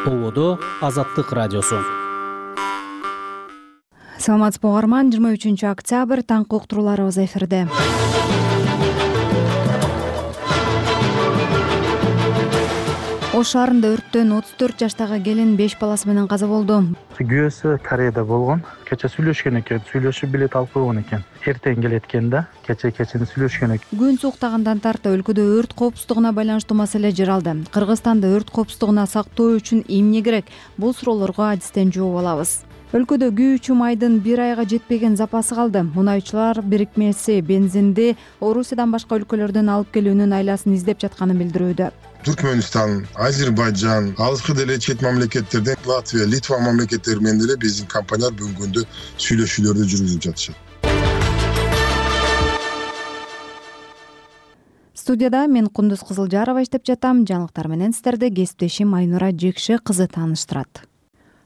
Ободо Азаттык радиосу. Саламатсызбы угарман, 23 октябрь таңкы уктурууларыбыз эфирде. Ош шаарында өрттөн 34 жаштагы келин 5 баласы менен каза болду. Күйөөсү Кореяда болгон. Кече сүйлөшкөн экен, сүйлөшүп билет алып койгон экен. Эртең келет экен да, кечени сүйлөшкөн экен. Күн суктагандан тарта өлкөдө өрт коопсуздугуна байланыштуу маселе жаралды. Кыргызстанда өрт коопсуздугуна сактоо үчүн эмне керек? Бул суроолорго адистен жооп алабыз. Өлкөдө күйүүчү майдын 1 айга жетпеген запасы калды. Мунайчылар бирикмеси бензинди Орусиядан башка өлкөлөрдөн алып келүүнүн айласын издеп жатканын билдирүүдө. Түркмөнстан, Азербайджан, алыскы деле чет мамлекеттерден Латвия, Литва мамлекеттери менен деле биздин компаниялар бүгүнкү күндө сүйлөшүүлөрдү жүргүзүп жатышат. Студияда мен Кундуз Кызылжарова иштеп жатам. Жаңылыктар менен сиздерди кесиптешим Айнура Жекши кызы тааныштырат.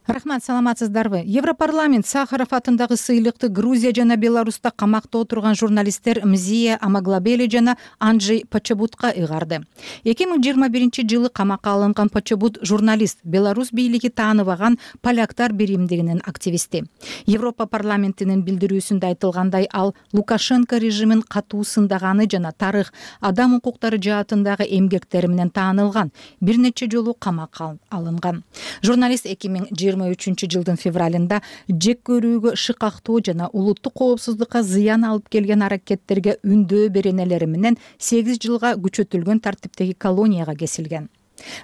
Рахмат, саламатсыздарбы? Европарламент Сахаров атындагы сыйлыкты Грузия жана Беларуста камакта отурган журналисттер Мзия Амаглабели жана Анджей Почобутка ыйгарды. 2021-жылы камакка алынган Почобут журналист, Беларусь бийлиги тааныбаган поляктар биримдигинин активисти. Европа парламентинин билдирүүсүндө айтылгандай, ал Лукашенко режимин катуу сындаганы жана тарых, адам укуктары жаатындагы эмгектери менен таанылган, бир нече жолу камакка алынган. Журналист 2023-жылдын февралында жек көрүүгө, шыкактоо жана улуттук коопсуздукка зыян алып келген аракеттерге үндөө беренелери менен 8 жылга күчөтүлгөн тартиптеги колонияга кесилген.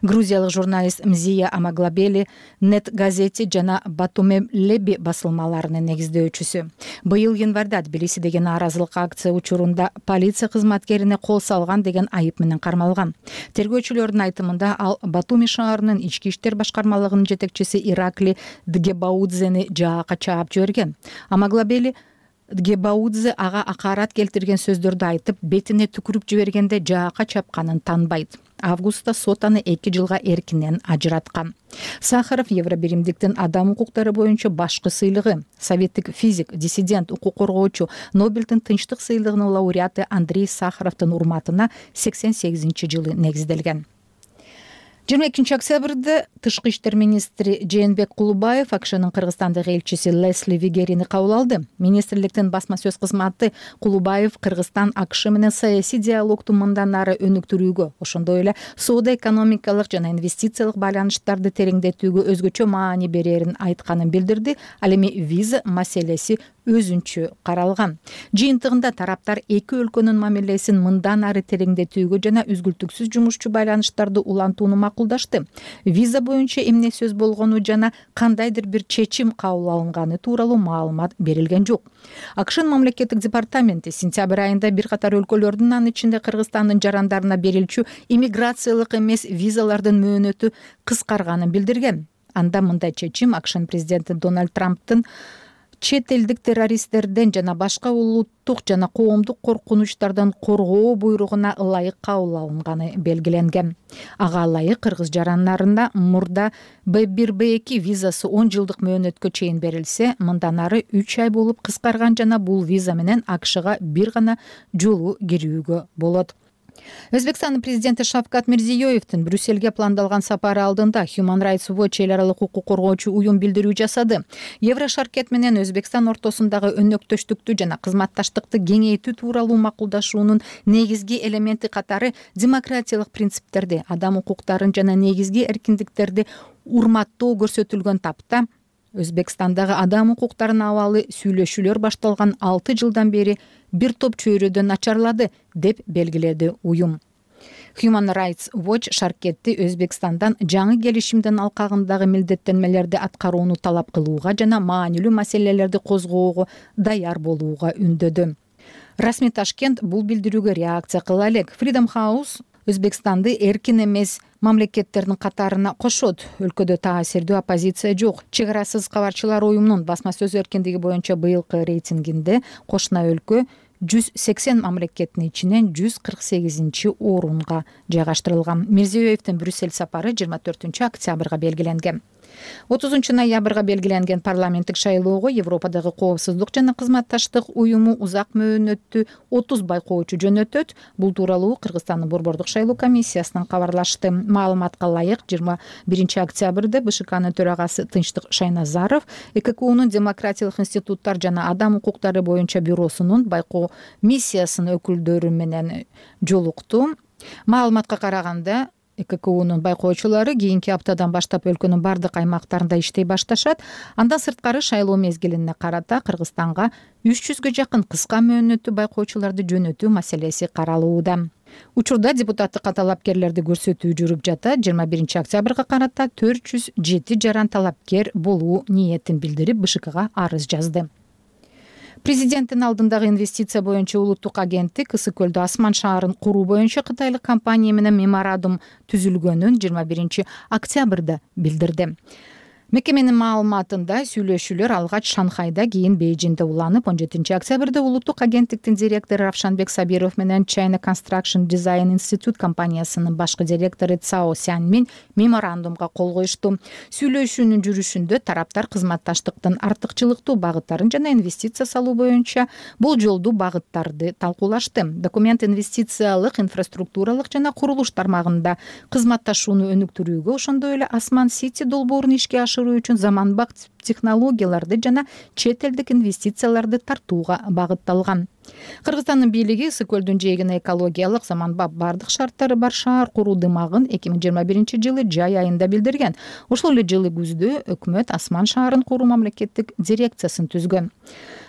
Грузиялык журналист Мзия Амаглабели Нет газети жана Батуме Леби басылмаларынын негиздөөчүсү. Быйыл январда Тбилисидеги нааразылык акция учурунда полиция кызматкерине кол салган деген айып менен кармалган. Тергөөчүлөрдүн айтымында ал Батуми шаарынын ички иштер башкармалыгынын жетекчиси Иракли Дгебаудзени жаакка чаап жиберген. Амаглабели Дгебаудзе ага акарат келтирген сөздөрдү айтып, бетине түкүрүп жибергенде жаакка чапканын танбайт. Августта сот аны 2 жылга эркинен ажыраткан. Сахаров Евробиримдиктин адам укуктары боюнча башкы сыйлыгы, советтик физик, диссидент, укук коргоочу, Нобелдин тынчтык сыйлыгынын лауреаты Андрей Сахаровдун урматына 88-жылы негизделген. 22 октябрда Тышкы иштер министри Жээнбек Кулубаев АКШнын Кыргызстандагы элчиси Лесли Вигерини кабыл алды. Министрликтин басма сөз кызматы Кулубаев Кыргызстан АКШ менен саясий диалогду мындан ары өнүктүрүүгө, ошондой эле соода-экономикалык жана инвестициялык байланыштарды тереңдетүүгө өзгөчө маани берерин айтканын билдирди. Ал эми виза маселеси өзүнчө каралган. Жыйынтыгында тараптар эки өлкөнүн мамилесин мындан ары тереңдетүүгө жана үзгүлтүксүз жумушчу байланыштарды улантууну макулдашты. Виза боюнча эмне сөз болгону жана кандайдыр бир чечим кабыл алынганы тууралуу маалымат берилген жок. АКШнын мамлекеттик департаменти сентябрь айында бир катар өлкөлөрдүн, анын ичинде Кыргызстандын жарандарына берилчү иммиграциялык эмес визалардын мөөнөтү кыскарганын билдирген. Анда мындай чечим АКШнын президенти Дональд Трамптын чет элдик террористтерден жана башка улуттук жана коомдук коркунучтардан коргоо буйругуна ылайык кабыл алынганы белгиленген. Ага ылайык кыргыз жарандарына мурда Б1, Б2 визасы 10 жылдык мөөнөткө чейин берилсе, мындан ары 3 ай болуп кыскарган жана бул виза менен АКШга бир гана жолу кирүүгө болот. Өзбекстандын президенти Шавкат Мирзиёевдин Брюссельге пландалган сапары алдында Human Rights Watch эл аралык укук коргоочу уюм билдирүү жасады. Еврошаркет менен Өзбекстан ортосундагы өнөктөштүктү жана кызматташтыкты кеңейтүү тууралуу макулдашуунун негизги элементи катары демократиялык принциптерди, адам укуктарын жана негизги эркиндиктерди урматтоо көрсөтүлгөн тапта Өзбекстандагы адам укуктарынын абалы сүйлөшүүлөр башталган 6 жылдан бери бир топ чөйрөдө начарлады, деп белгиледи уюм. Human Rights Watch шаркетти Өзбекстандан жаңы келишимдин алкагындагы милдеттенмелерди аткарууну талап кылууга жана маанилүү маселелерди козгоого даяр болууга үндөдү. Расмий Ташкент бул билдирүүгө реакция кыла элек. Freedom House Өзбекстанды эркин эмес мамлекеттердин катарына кошот. Өлкөдө таасирдүү оппозиция жок. Чек арасыз кабарчылар уюмунун басма сөз эркиндиги боюнча быйылкы рейтингинде кошуна өлкө 180 мамлекеттин ичинен 148-орунга жайгаштырылган. Мирзиёевдин Брюссель сапары 24 октябрга белгиленген. 30 белгиленген парламенттик шайлоого Европадагы коопсуздук жана кызматташтык уюму узак мөөнөттүү 30 байкоочу жөнөтөт. Бул тууралуу Кыргызстандын борбордук шайлоо комиссиясынан кабарлашты. Маалыматка ылайык 21 октябрда БШКнын төрагасы Тынчтык Шайназаров ЭККУнун демократиялык институттар жана адам укуктары боюнча бюросунун байкоо миссиясынын өкүлдөрү менен жолукту. Маалыматка караганда ЭККУнун байкоочулары кийинки аптадан баштап өлкөнүн бардык аймактарында иштей башташат. Андан сырткары шайлоо мезгилине карата Кыргызстанга 300гө жакын кыска мөөнөттүү байкоочуларды жөнөтүү маселеси каралууда. Учурда депутаттыкка талапкерлерди көрсөтүү жүрүп жатат. 21 октябрга карата 407 жаран талапкер болуу ниетин билдирип БШКга арыз жазды. Президенттин алдындагы инвестиция боюнча улуттук агенттик Ысык көлдө Асман шаарын куруу боюнча кытайлык компания менен меморандум түзүлгөнүн 21 октябрда билдирди. Мекеменин маалыматында сүйлөшүүлөр алгач Шанхайда, кийин Бейжиңде уланып, 17 октябрда улуттук агенттиктин директору Равшанбек Сабиров менен China Construction Design Institute компаниясынын башкы директору Цао Сянмин меморандумга кол коюшту. Сүйлөшүүнүн жүрүшүндө тараптар кызматташтыктын артыкчылыктуу багыттарын жана инвестиция салуу боюнча болжолдуу багыттарды талкуулашты. Документ инвестициялык, инфраструктуралык жана курулуш тармагында кызматташууну өнүктүрүүгө, ошондой эле Асман Сити долбоорун ишке ашыруу үчүн заманбап технологияларды жана чет элдик инвестицияларды тартууга багытталган. Кыргызстандын бийлиги Ысык көлдүн жээгине экологиялык заманбап бардык шарттары бар шаар куруу дымагын 2021 жылы жай айында билдирген. Ошол эле жылы күздө өкмөт Асман шаарын куруу мамлекеттик дирекциясын түзгөн.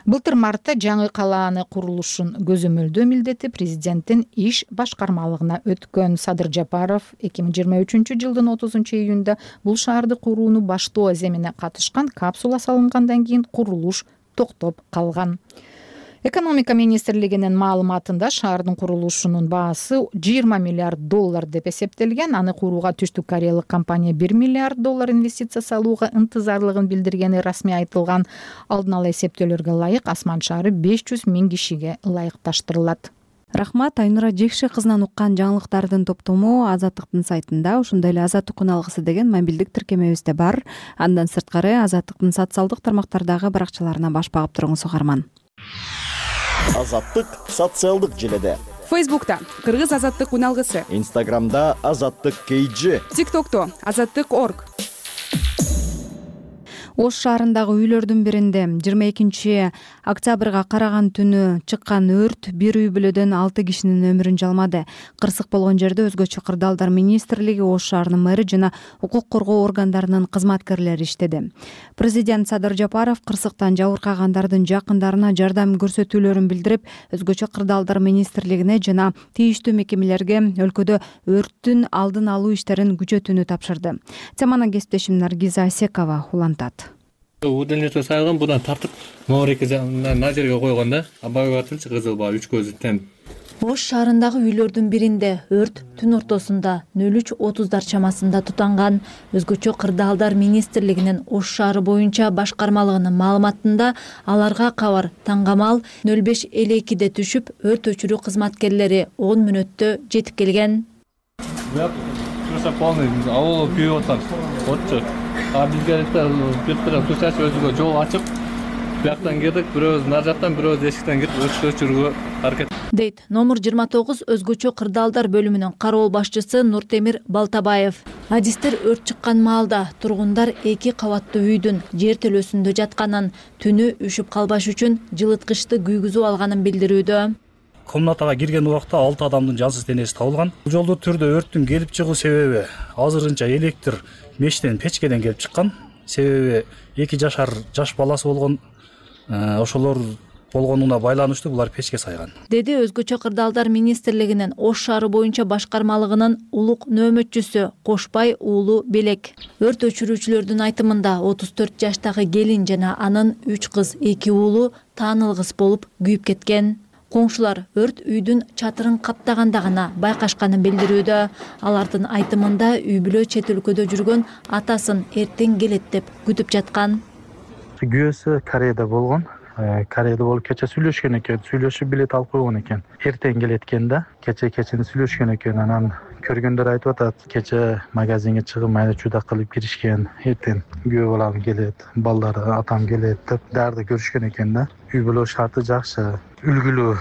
Былтыр мартта жаңы калааны курулушун көзөмөлдөө милдети президенттин иш башкармалыгына өткөн. Садыр Жапаров 2023 жылдын 30 июнда бул шаарды курууну баштоо аземине катышкан. Капсула салынгандан кийин курулуш токтоп калган. Экономика министрлигинин маалыматында шаардын курулушунун баасы 20 миллиард доллар деп эсептелген. Аны курууга Түштүк Кореялык компания 1 миллиард доллар инвестиция салууга ынтызарлыгын билдиргени расмий айтылган. Алдын ала эсептөөлөргө ылайык Асман шаары 500 000 кишиге ылайыкташтырылат. Рахмат. Айнура Жекши кызынан уккан жаңылыктардын топтому Азаттыктын сайтында, ошондой эле Азаттык күн алгысы деген мобилдик тиркемебизде бар. Андан сырткары Азаттыктын социалдык тармактардагы баракчаларына баш багып туруңуз угарман. Азаттык социалдык желеде. Фейсбукта Кыргыз Азаттык күн алгысы. Инстаграмда Азаттык KG. ТикТокто Азаттык.org. Ош шаарындагы үйлөрдүн биринде 22 октябрга караган түнү чыккан өрт бир үй бүлөдөн 6 кишинин өмүрүн жалмады. Кырсык болгон жерде өзгөчө кырдаалдар министрлиги, Ош шаарынын мэри жана укук коргоо органдарынын кызматкерлери иштеди. Президент Садыр Жапаров кырсыктан жабыркагандардын жакындарына жардам көрсөтүүлөрүн билдирип, өзгөчө кырдаалдар министрлигине жана тийиштүү мекемелерге өлкөдө өрттүн алдын алуу иштерин күчөтүүнү тапшырды. Теманы кесиптешим Наргиза Асекова улантат. Удалнече сайылган будан тартып моореке на жерге койгонда абай батырчы кызыл баа 3 көзү тең. Ош шаарындагы үйлөрдүн биринде өрт түн ортосунда 03:30 чамасында тутанган. Өзгөчө кырдаалдар министрлигинин Ош шаары боюнча башкармалыгынын маалыматында аларга кабар таңгамал 05:52 түшүп, өрт өчүрүү кызматкерлери 10 мүнөттө жетип келген. Просто полный авыл күйүп аткан. Отчу. Бизге биртара сушаш өзүгө жол ачып, бияктан кирдик, бирөөбүз нар жактан, бирөөбүз эшиктен кирип өрттү өчүрүүгө аракет. Дейт номер 29 өзгөчө кырдаалдар бөлүмүнүн кароол башчысы Нуртемир Балтабаев. Адистер өрт чыккан маалда тургундар 2 кабаттуу үйдүн жер төлөсүндө жатканын, түнү үшүп калбаш үчүн жылыткычты күйгүзүп алганын билдирүүдө. Комнатага кирген убакта 6 адамдын жансыз денеси табылган. Жолдуу түрдө өрттүн келип чыгуу себеби азырынча электр мештен печкеден келип чыккан. Себеби 2 жашар жаш баласы болгон, ошолор болгонуна байланыштуу булар печке сайган. Деди өзгөчө кырдаалдар министрлигинин Ош шаары боюнча башкармалыгынын улук нөөмөтчүсү Кошбай уулу Белек. Өрт өчүрүүчүлөрдүн айтымында 34 жаштагы келин жана анын 3 кыз 2 уулу таанылгыс болуп күйүп кеткен. Коңшулар өрт үйдүн чатырын каптаганда гана байкашканын билдирүүдө. Алардын айтымында үй бүлө чет өлкөдө жүргөн атасын эртең келет деп күтүп жаткан. Күйөөсү Кореяда болгон. Кореяда болуп кече сүйлөшкөн экен, сүйлөшүп билет алып койгон экен. Эртең келет экен да, кечени сүйлөшкөн экен, анан Көргөндөр айтып атат, кече магазинге чыгып майда чууда кылып киришкен, эртең күйөө балам келет, балдары атам келет деп дарды көрүшкөн экен да. Үй бүлө шарты жакшы, үлгүлүү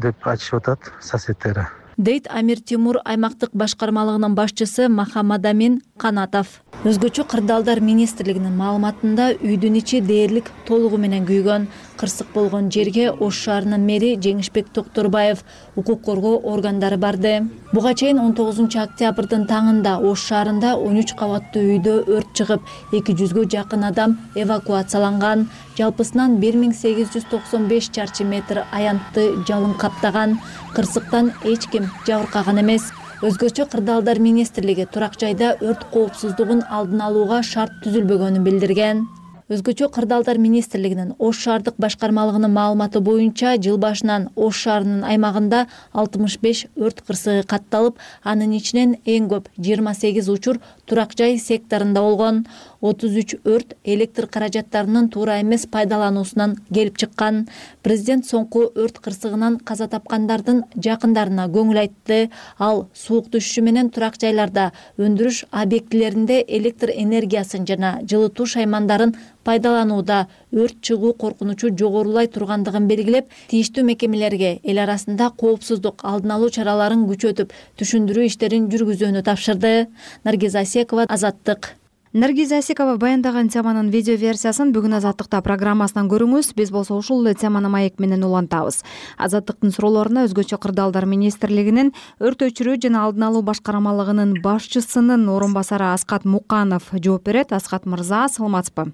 деп айтышып атат соседтери. Дейт Амир Тимур аймактык башкармалыгынын башчысы Махамадамин Канатов. Өзгөчө кырдаалдар министрлигинин маалыматында үйдүн ичи дээрлик толугу менен күйгөн. Кырсык болгон жерге Ош шаарынын мэри Жеңишбек Токторбаев укук коргоо органдары барды. Буга чейин 19 октябрдын таңында Ош шаарында 13 кабаттуу үйдө өрт чыгып, 200гө жакын адам эвакуацияланган. Жалпысынан 1895 чарчы метр аянтты жалын каптаган. Кырсыктан эч ким жабыркаган эмес. Өзгөчө кырдаалдар министрлиги турак жайда өрт коопсуздугун алдын алууга шарт түзүлбөгөнүн билдирген. Өзгөчө кырдаалдар министрлигинин Ош шаардык башкармалыгынын маалыматы боюнча жыл башынан Ош шаарынын аймагында 65 өрт кырсыгы катталып, анын ичинен эң көп 28 учур турак жай секторунда болгон. 33 өрт электр каражаттарынын туура эмес пайдалануусунан келип чыккан. Президент соңку өрт кырсыгынан каза тапкандардын жакындарына көңүл айтты. Ал суук түшүшү менен турак жайларда, өндүрүш объектилеринде электр энергиясын жана жылытуу шаймандарын пайдаланууда өрт чыгуу коркунучу жогорулай тургандыгын белгилеп, тийиштүү мекемелерге эл арасында коопсуздук алдын алуу чараларын күчөтүп, түшүндүрүү иштерин жүргүзүүнү тапшырды. Наргиз Асекова, Азаттык. Наргиз Асекова баяндаган теманын видео версиясын бүгүн Азаттыкта программасынан көрүңүз. Биз болсо ушул эле теманы маек менен улантабыз. Азаттыктын суроолоруна өзгөчө кырдаалдар министрлигинин өрт өчүрүү жана алдын алуу башкармалыгынын башчысынын орун басары Аскат Муканов жооп берет. Аскат мырза, саламатсызбы?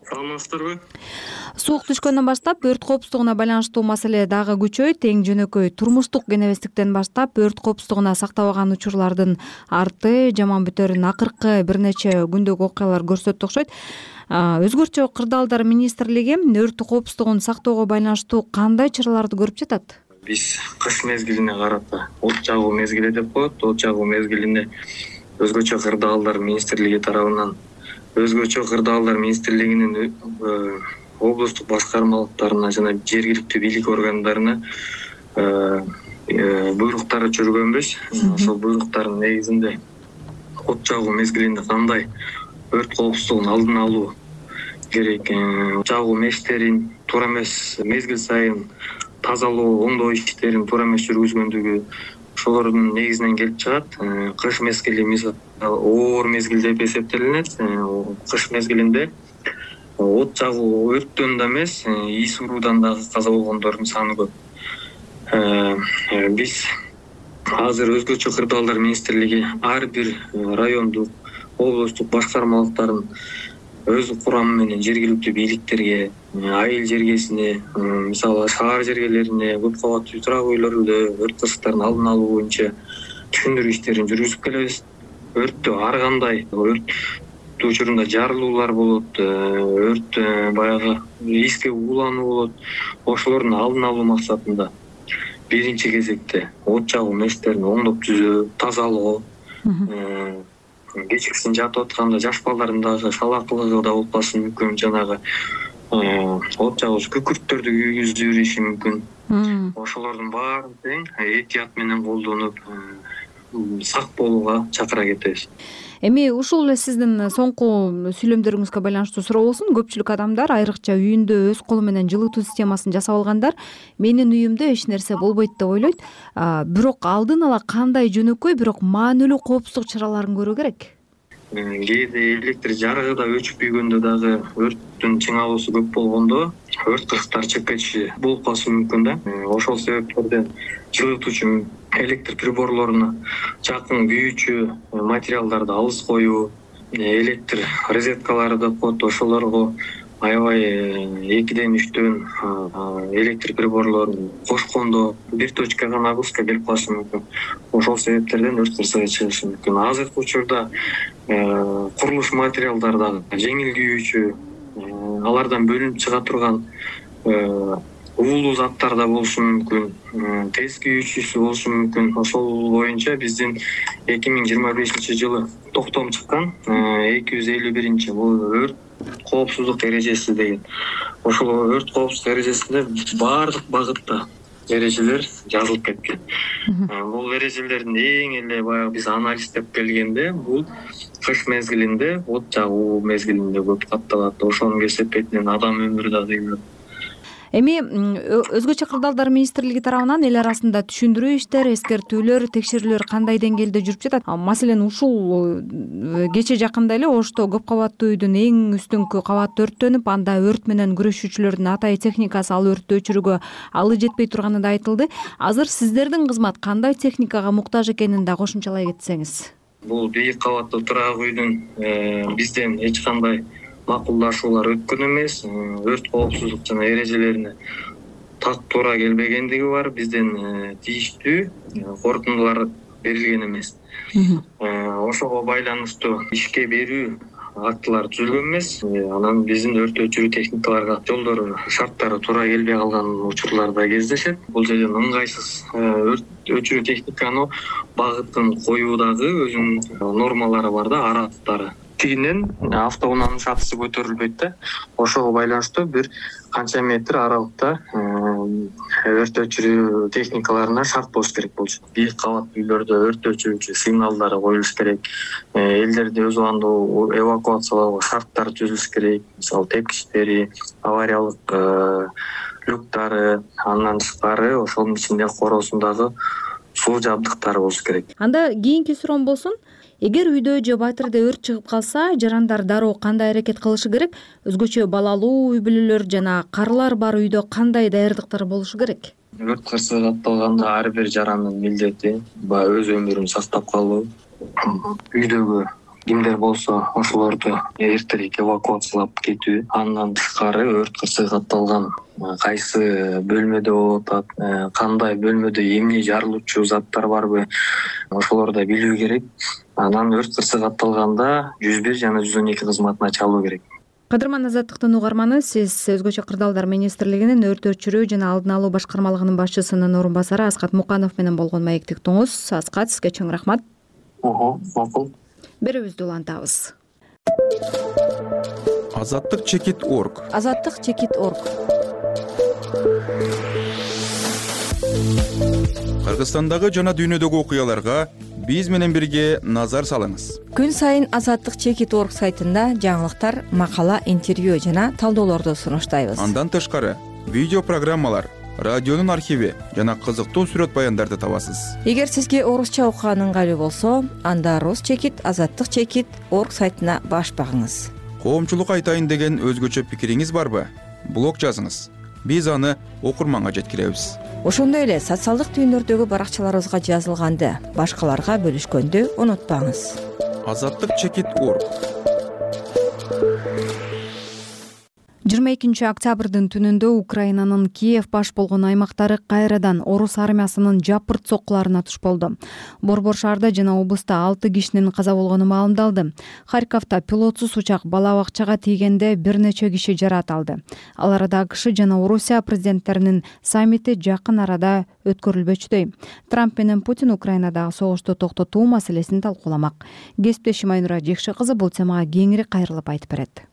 Саламатсыздарбы? Суук түшкөндөн баштап өрт коопсуздугуна байланыштуу маселе дагы күчөйт. Эң жөнөкөй турмуштук кенебездиктен баштап өрт коопсуздугуна сактабаган учурлардын арты жаман бүтөрүн акыркы бир нече күндөгү окуялар көрсөттү окшойт. Өзгөчө кырдаалдар министрлиги өрт коопсуздугун сактоого байланыштуу кандай чараларды көрүп жатат? Биз кыш мезгилине карата от жагуу мезгили деп коет. От жагуу мезгилине өзгөчө кырдаалдар министрлиги тарабынан Өзгөчө кырдаалдар министрлигинин облустук башкармалыктарына жана жергиликтүү бийлик органдарына буйруктар жүргөнбүз. Ошол буйруктардын негизинде от жагуу мезгилинде кандай өрт коопсуздугун алдын алуу керек, жагуу мештерин туура эмес мезгил сайын тазалоо, оңдоо иштерин туура эмес жүргүзгөндүгү ошолордун негизинен келип чыгат. Кыш мезгили мисалы оор мезгил деп эсептелинет. Кыш мезгилинде от жагуу өрттөн да эмес, ис уруудан дагы каза болгондордун саны көп. Биз азыр өзгөчө кырдаалдар министрлиги ар бир райондук, облустук башкармалыктарын өз курамы менен жергиликтүү бийликтерге, айыл жергесине, мисалы шаар жергелерине, көп кабаттуу турак үйлөрүндө өрт кырсыктарын алдын алуу боюнча түшүндүрүү иштерин жүргүзүп келебиз. Өрттө ар кандай өрт учурунда жарылуулар болот, өрт баягы риске уулануу болот. Ошолордун алдын алуу максатында биринчи кезекте от жагуу мештерин оңдоп түзөө, тазалоо, кечкисин жатып атканда жаш балдардын дагы шалакылыгы да болбасын мүмкүн, жанагы от жагууч күкүрттөрдү күйгүзүп бериши мүмкүн. Ошолордун баарын тең этият менен колдонуп сак болууга чакыра кетебиз. Эми ушул эле сиздин соңку сүйлөмдөрүңүзгө байланыштуу суроо болсун. Көпчүлүк адамдар айрыкча үйүндө өз колу менен жылытуу системасын жасап алгандар менин үйүмдө эч нерсе болбойт деп ойлойт. Бирок алдын ала кандай жөнөкөй, бирок маанилүү коопсуздук чараларын көрүү керек? Кээде электр жарыгы да өчүп күйгөндө дагы өрттүн чыңалуусу көп болгондо өрт кырсыктары чыгып кетиши болуп калышы мүмкүн да. Ошол себептерден жылытуучу электр приборлоруна жакын күйүүчү материалдарды алыс коюу, электр розеткалары деп коет, ошолорго аябай 2-ден 3төн электр приборлорун кошкондо бир точкага нагрузка келип калышы мүмкүн. Ошол себептерден өрт кырсыгы чыгышы мүмкүн. Азыркы учурда курулуш материалдары дагы жеңил күйүүчү, алардан бөлүнүп чыга турган уулуу заттар да болушу мүмкүн, тез күйүүчүсү болушу мүмкүн. Ошол боюнча биздин 2025-жылы токтом чыккан 251 бул өрт коопсуздук эрежеси деген. Ошол өрт коопсуздук эрежесинде баардык багытта эрежелер жазылып кеткен. Бул эрежелердин эң эле баягы биз анализдеп келгенде бул кыш мезгилинде, от жагуу мезгилинде көп катталат. Ошонун кесепетинен адам өмүрү да кыйылат. Эми өзгөчө кырдаалдар министрлиги тарабынан эл арасында түшүндүрүү иштер, эскертүүлөр, текшерүүлөр кандай деңгээлде жүрүп жатат? Маселен, ушул кече жакында эле Ошто көп кабаттуу үйдүн эң үстүңкү кабаты өрттөнүп, анда өрт менен күрөшүүчүлөрдүн атайы техникасы ал өрттү өчүрүүгө алы жетпей турганы да айтылды. Азыр сиздердин кызмат кандай техникага муктаж экенин да кошумчалай кетсеңиз. Бул бийик кабаттуу турак үйдүн бизден эч кандай макулдашуулар өткөн эмес, өрт коопсуздук жана эрежелерине так туура келбегендиги бар. Бизден тийиштүү корутундулар берилген эмес. Ошого байланыштуу ишке берүү актылар түзүлгөн эмес. Анан биздин өрт өчүрүү техникаларга жолдору, шарттары туура келбей калган учурлар да кездешет. Бул жерден ыңгайсыз өрт өчүрүү техниканы багытын коюудагы өзүнүн нормалары бар да, аралыктары. Тигинен автоунаанын шатысы көтөрүлбөйт да. Ошого байланыштуу бир канча метр аралыкта өрт өчүрүү техникаларына шарт болуш керек болчу. Бийик кабаттуу үйлөрдө өрт өчүрүүчү сигналдары коюлуш керек. Элдерди өз убагында эвакуациялоого шарттар түзүлүш керек. Мисалы, тепкичтери, авариялык люктары, андан тышкары ошонун ичинде коросундагы суу жабдыктары болуш керек. Анда кийинки суроом болсун. Эгер үйдө же батирде өрт чыгып калса, жарандар дароо кандай аракет кылышы керек? Өзгөчө балалуу үй бүлөлөр жана карылар бар үйдө кандай даярдыктар болушу керек? Өрт кырсыгы катталганда ар бир жарандын милдети өз өмүрүн сактап калуу. Үйдөгү кимдер болсо ошолорду эртерээк эвакуациялап кетүү. Андан тышкары өрт кырсыгы катталган кайсы бөлмөдө болуп атат, кандай бөлмөдө эмне жарылуучу заттар барбы, ошолорду билүү керек. Анан өрт кырсыгы катталганда 101 жана 112 кызматына чалуу керек. Кадырман Азаттыктын угарманы, сиз өзгөчө кырдаалдар министрлигинин өрт өчүрүү жана алдын алуу башкармалыгынын башчысынын орун басары Аскат Муканов менен болгон маектиктиңиз. Аскат, сизге чоң рахмат. Макул. Берүүбүздү улантабыз. Азаттык чекит орг. Азаттык чекит орг. Кыргызстандагы жана дүйнөдөгү окуяларга биз менен бирге назар салыңыз. Күн сайын Азаттык чекит орг сайтында жаңылыктар, макала, интервью жана талдоолорду сунуштайбыз. Андан тышкары видео программалар, радионун архиви жана кызыктуу сүрөт баяндарды табасыз. Эгер сизге орусча окуган ыңгайлуу болсо, анда Рус чекит, Азаттык чекит орг сайтына баш багыңыз. Коомчулук айтайын деген өзгөчө пикириңиз барбы? Блог жазыңыз. Биз аны окурманга жеткиребиз. Ошондой эле социалдык түйүндөрдөгү баракчаларыбызга жазылганды, башкаларга бөлүшкөндү унутпаңыз. Азаттык чекит орг. 22 октябрдын түнүндө Украинанын Киев баш болгон аймактары кайрадан орус армиясынын жапырт соккуларына туш болду. Борбор шаарда жана облуста 6 кишинин каза болгону маалымдалды. Харьковдо пилотсуз учак бала бакчага тийгенде бир нече киши жаракат алды. Ал арада АКШ жана Орусия президенттеринин саммити жакын арада өткөрүлбөчүдөй. Трамп менен Путин Украинадагы согушту токтотуу маселесин талкууламак. Кесиптешим Айнура Жекши кызы бул темага кеңири кайрылып айтып берет.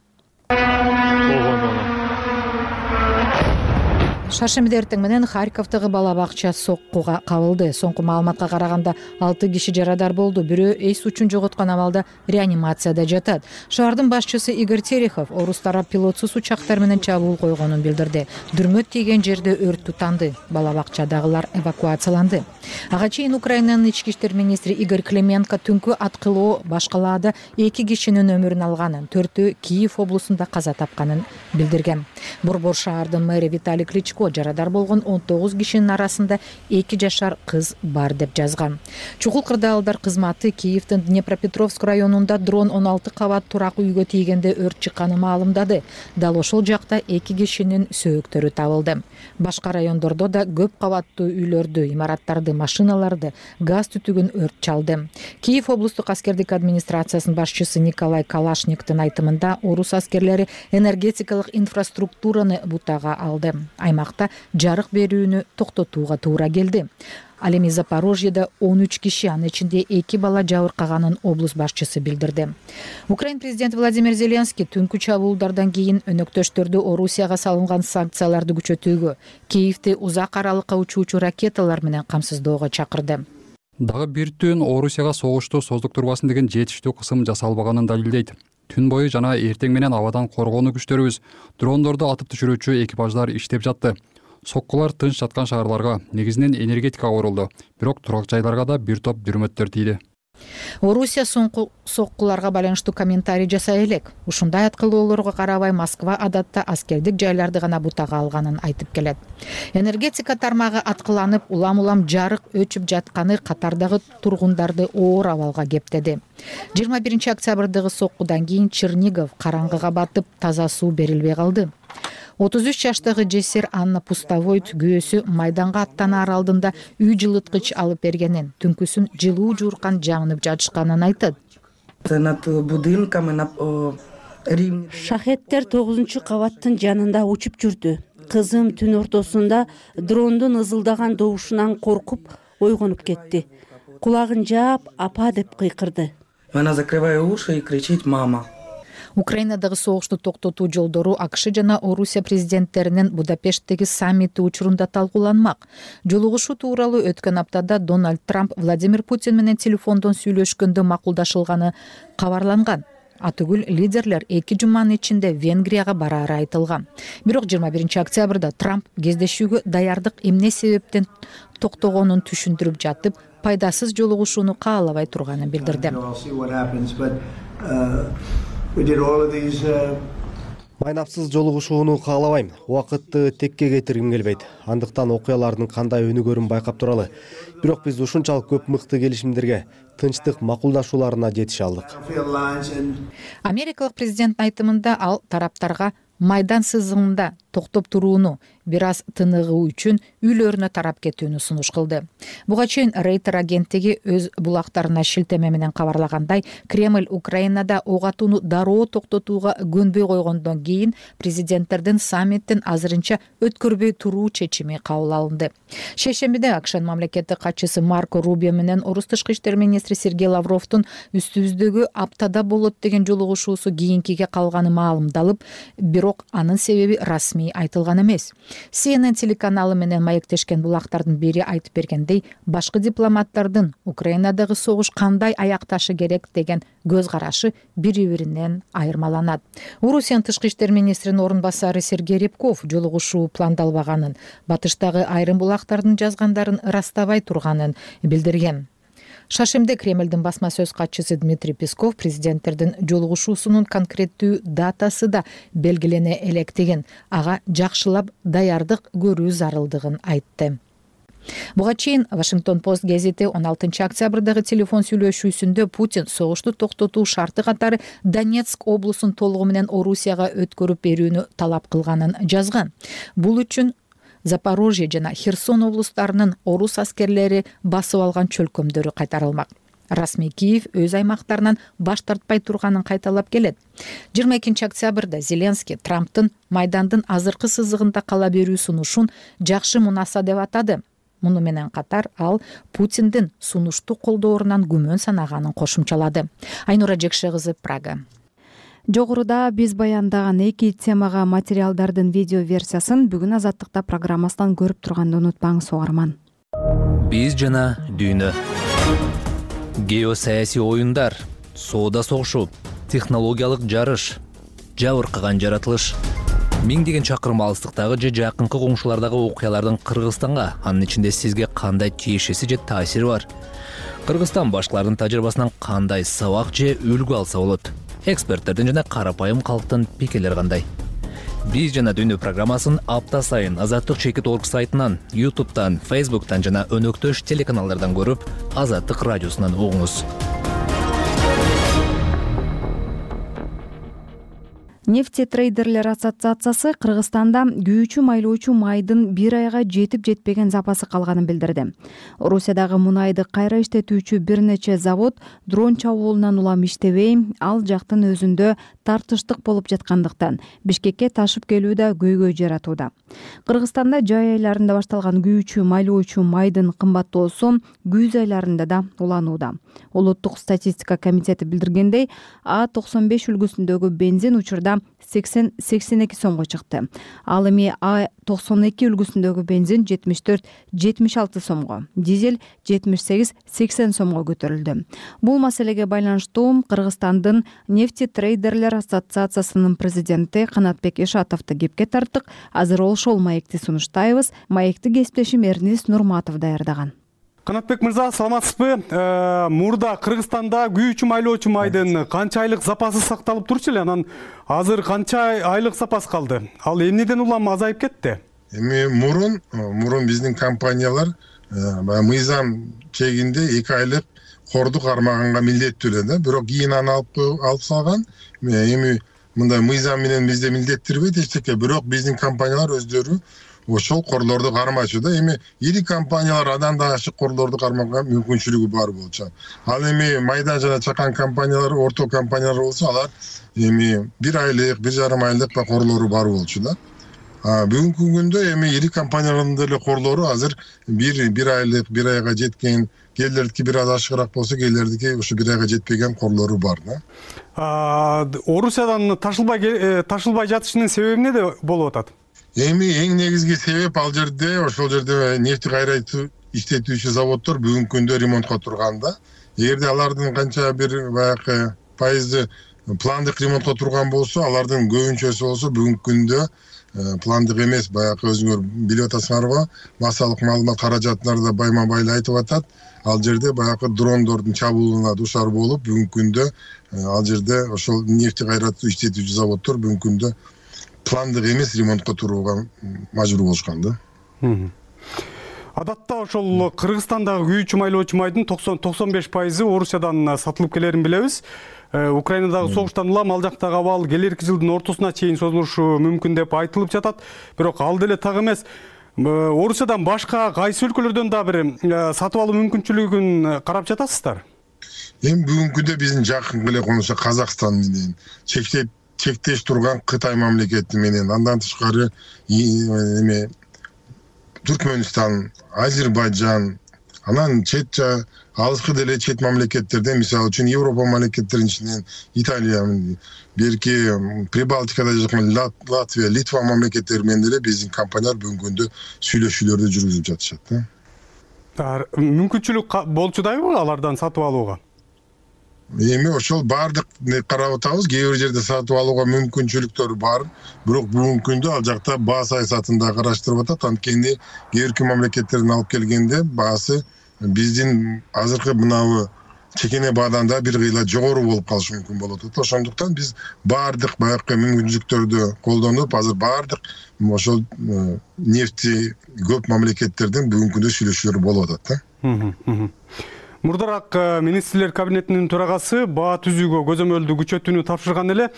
Шаршемби эртең менен Харьковдогу бала бакча соккуга кабылды. Соңку маалыматка караганда 6 киши жарадар болду. Бирөө эс учун жоготкон абалда реанимацияда жатат. Шаардын башчысы Игорь Терехов орус тарап пилотсуз учактар менен чабуул койгонун билдирди. Дүрмөт тийген жерде өрт тутанды. Бала бакчадагылар эвакуацияланды. Ага чейин Украинанын ички иштер министри Игорь Клименко түнкү аткылоо башкалаада 2 кишинин өмүрүн алганын, 4-өө Киев облусунда каза тапканын билдирген. Борбор шаардын мэри Виталий Кличко жарадар болгон 19 кишинин арасында 2 жашар кыз бар деп жазган. Чукул кырдаалдар кызматы Киевдин Днепропетровск районунда дрон 16 кабат турак үйгө тийгенде өрт чыкканын маалымдады. Дал ошол жакта 2 кишинин сөөктөрү табылды. Башка райондордо да көп кабаттуу үйлөрдү, имараттарды, машиналарды, газ түтүгүн өрт чалды. Киев облустук аскердик администрациясынын башчысы Николай Калашниктин айтымында орус аскерлери энергетикалык инфраструктураны бутага алды. Аймак аймакта жарык берүүнү токтотууга туура келди. Ал эми Запорожьеда 13 киши, анын ичинде 2 бала жабыркаганын облус башчысы билдирди. Украин президенти Владимир Зеленский түнкү чабуулдардан кийин өнөктөштөрдү Орусияга салынган санкцияларды күчөтүүгө, Киевти узак аралыкка учуучу ракеталар менен камсыздоого чакырды. Дагы бир түн Орусияга согушту создуктурбасын деген жетиштүү кысым жасалбаганын далилдейт. Түн бою жана эртең менен абадан коргонуу күчтөрүбүз дрондорду атып түшүрүүчү экипаждар иштеп жатты. Соккулар тынч жаткан шаарларга, негизинен энергетикага урулду, бирок турак жайларга да бир топ дүрмөттөр тийди. Орусия соккуларга байланыштуу комментарий жасай элек. Ушундай аткылоолорго карабай Москва адатта аскердик жайларды гана бутага алганын айтып келет. Энергетика тармагы аткыланып, улам жарык өчүп жатканы катардагы тургундарды оор абалга кептеди. 21 октябрдагы соккудан кийин Чернигов караңгыга батып, таза суу берилбей калды. 33 жаштагы жесир Анна Пустовойт күйөөсү майданга аттанаар алдында үй жылыткыч алып бергенин, түнкүсүн жылуу жууркан жанып жатышканын айтат. Шахеттер 9-кабаттын жанында учуп жүрдү. Кызым түн ортосунда дрондун ызылдаган добушунан коркуп ойгонуп кетти. Кулагын жаап, апа деп кыйкырды. Она закрывает уши и кричит «мама». Украинадагы согушту токтотуу жолдору АКШ жана Орусия президенттеринин Будапешттеги саммити учурунда талкууланмак. Жолугушуу тууралуу өткөн аптада Дональд Трамп Владимир Путин менен телефондон сүйлөшкөндө макулдашылганы кабарланган. Атүгүл лидерлер 2 жуманын ичинде Венгрияга бараары айтылган. Бирок 21 октябрда Трамп кездешүүгө даярдык эмне себептен токтогонун түшүндүрүп жатып, пайдасыз жолугушууну каалабай турганын билдирди. Майнапсыз жолугушууну каалабайм. Убакытты текке кетиргим келбейт. Андыктан окуялардын кандай өнүгөрүн байкап туралы. Бирок биз ушунчалык көп мыкты келишимдерге, тынчтык макулдашууларына жетише алдык. Америкалык президенттин айтымында ал тараптарга майдан сызыгында токтоп турууну, бир аз тыныгуу үчүн үйлөрүнө тарап кетүүнү сунуш кылды. Буга чейин Рейтер агенттиги өз булактарына шилтеме менен кабарлагандай, Кремль Украинада ок атууну дароо токтотууга көнбөй койгондон кийин президенттердин саммиттин азырынча өткөрбөй туруу чечими кабыл алынды. Шейшембиде АКШнын мамлекеттик катчысы Марко Рубио менен Орус тышкы иштер министри Сергей Лавровдун үстүбүздөгү аптада болот деген жолугушуусу кийинкиге калганы маалымдалып, бирок анын себеби расмий айтылган эмес. CNN телеканалы менен маектешкен булактардын бири айтып бергендей, башкы дипломаттардын Украинадагы согуш кандай аякташы керек деген көз карашы бири-биринен айырмаланат. Орусиянын тышкы иштер министринин орун басары Сергей Рябков жолугушуу пландалбаганын, батыштагы айрым булактардын жазгандарын ырастабай турганын билдирген. Шашемде Кремлдин басма сөз катчысы Дмитрий Песков президенттердин жолугушуусунун конкреттүү датасы да белгилене электигин, ага жакшылап даярдык көрүү зарылдыгын айтты. Буга чейин Вашингтон Пост гезити 16 октябрдагы телефон сүйлөшүүсүндө Путин согушту токтотуу шарты катары Донецк облусун толугу менен Орусияга өткөрүп берүүнү талап кылганын жазган. Бул үчүн Запорожье жана Херсон облустарынын орус аскерлери басып алган чөлкөмдөрү кайтарылмак. Расмий Киев өз аймактарынан баш тартпай турганын кайталап келет. 22 октябрда Зеленский Трамптын майдандын азыркы сызыгында кала берүү сунушун жакшы мунаса деп атады. Муну менен катар ал Путиндин сунушту колдоорунан күмөн санаганын кошумчалады. Айнура Жекше кызы, Прага. Жогоруда биз баяндаган 2 темага материалдардын видео версиясын бүгүн Азаттыкта программасынан көрүп турганды унутпаңыз, угарман. Биз жана дүйнө. Геосаясий оюндар, соода согушу, технологиялык жарыш, жабыркаган жаратылыш. Миңдеген чакырым алыстыктагы же жакынкы коңшулардагы окуялардын Кыргызстанга, анын ичинде сизге кандай тиешеси же таасири бар? Кыргызстан башкалардын тажрыйбасынан кандай сабак же үлгү алса болот? Эксперттердин жана карапайым калктын пикирлери кандай? Биз жана дүйнө программасын апта сайын Азаттык.org сайтынан, YouTube'дан, Facebook'тан жана өнөктөш телеканалдардан көрүп, Азаттык радиосунан угуңуз. Нефтетрейдерлер ассоциациясы Кыргызстанда күйүүчү майлоочу майдын бир айга жетип жетпеген запасы калганын билдирди. Орусиядагы мунайды кайра иштетүүчү бир нече завод дрон чабуулунан улам иштебей, ал жактын өзүндө тартыштык болуп жаткандыктан Бишкекке ташып келүү да көйгөй жаратууда. Кыргызстанда жай айларында башталган күйүүчү майлоочу майдын кымбаттоосу күз айларында да уланууда. Улуттук статистика комитети билдиргендей, А95 үлгүсүндөгү бензин учурда 80-82 сомго чыкты. Ал эми А92 үлгүсүндөгү бензин 74-76 сомго, дизель 78-80 сомго көтөрүлдү. Бул маселеге байланыштуу Кыргызстандын нефтетрейдерлер ассоциациясынын президенти Канатбек Ишатовду кепке тарттык. Азыр ошол маекти сунуштайбыз. Маекти кесиптешим Эрнис Нурматов даярдаган. Канатбек мырза, саламатсызбы? Мурда Кыргызстанда күйүүчү майлоочу майдын канча айлык запасы сакталып турчу эле, анан азыр канча айлык запас калды? Ал эмнеден улам азайып кетти? Эми мурун биздин компаниялар мыйзам чегинде 2 айлык корду кармаганга милдеттүү эле да. Бирок кийин аны алып салган. Эми мындай мыйзам менен бизде милдеттирбейт эчтеке, бирок биздин компаниялар өздөрү ошол корлорду кармачу да. Эми ири компаниялар андан да ашык корлорду кармаганга мүмкүнчүлүгү бар болчу. Ал эми майдан жана чакан компаниялар, орто компаниялар болсо, алар эми 1 айлык, 1,5 айлык корлору бар болчу да. Бүгүнкү күндө эми ири компаниялардын деле корлору азыр 1 айлык, 1 айга жеткен, кээлердики бир аз ашыгыраак болсо, кээлердики ушу 1 айга жетпеген корлору бар да. Орусиядан ташылбай жатышынын себеби эмнеде болуп атат? Эми эң негизги себеп ошол жерде нефти кайра иштетүүчү заводдор бүгүнкү күндө ремонтко турганда. Эгерде алардын канча бир баягы пайызы пландык ремонтко турган болсо, алардын көбүнчөсү болсо бүгүнкү күндө пландык эмес, баягы өзүңөр билип атасыңарбы, массалык маалымат каражаттары да байма-байла айтып атат. Ал жерде баягы дрондордун чабуулуна душар болуп, бүгүнкү күндө ал жерде ошол нефти кайра иштетүүчү заводдор бүгүнкү күндө пландык эмес ремонтко турууга мажбур болушкан да. Адатта ошол Кыргызстандагы күйүүчү майлоочу майдын 90-95% Орусиядан сатылып келерин билебиз. Украинадагы согуштан улам ал жактагы абал келерки жылдын ортосуна чейин созулушу мүмкүн деп айтылып жатат. Бирок ал деле так эмес. Орусиядан башка кайсы өлкөлөрдөн да бир сатып алуу мүмкүнчүлүгүн карап жатасыздар? Эми бүгүнкү күндө биздин жакын эле конушу Казакстан менен чектеш турган Кытай мамлекети менен, андан тышкары эми Түркмөнстан, Азербайджан, анан алыскы деле чет мамлекеттерден, мисалы үчүн Европа мамлекеттеринин ичинен Италия, берки Прибалтикада жакын Латвия, Литва мамлекеттери менен деле биздин компаниялар бүгүнкү күндө сүйлөшүүлөрдү жүргүзүп жатышат да. Мүмкүнчүлүк болчудайбы алардан сатып алууга? Эми ошол баардык карап атабыз, кээ бир жерде сатып алууга мүмкүнчүлүктөр бар, бирок бүгүнкү күндө ал жакта баа саясатын да караштырып атат. Анткени кээ бирки мамлекеттерден алып келгенде баасы биздин азыркы мынабы чекене баадан да бир кыйла жогору болуп калышы мүмкүн болот. Ошондуктан биз баардык баягы мүмкүнчүлүктөрдү колдонуп, азыр баардык ошол нефти көп мамлекеттерден бүгүнкү күндө сүйлөшүүлөр болуп атат да. Мурдараак министрлер кабинетинин төрагасы баа түзүүгө көзөмөлдүү күчөтүүнү тапшырган эле.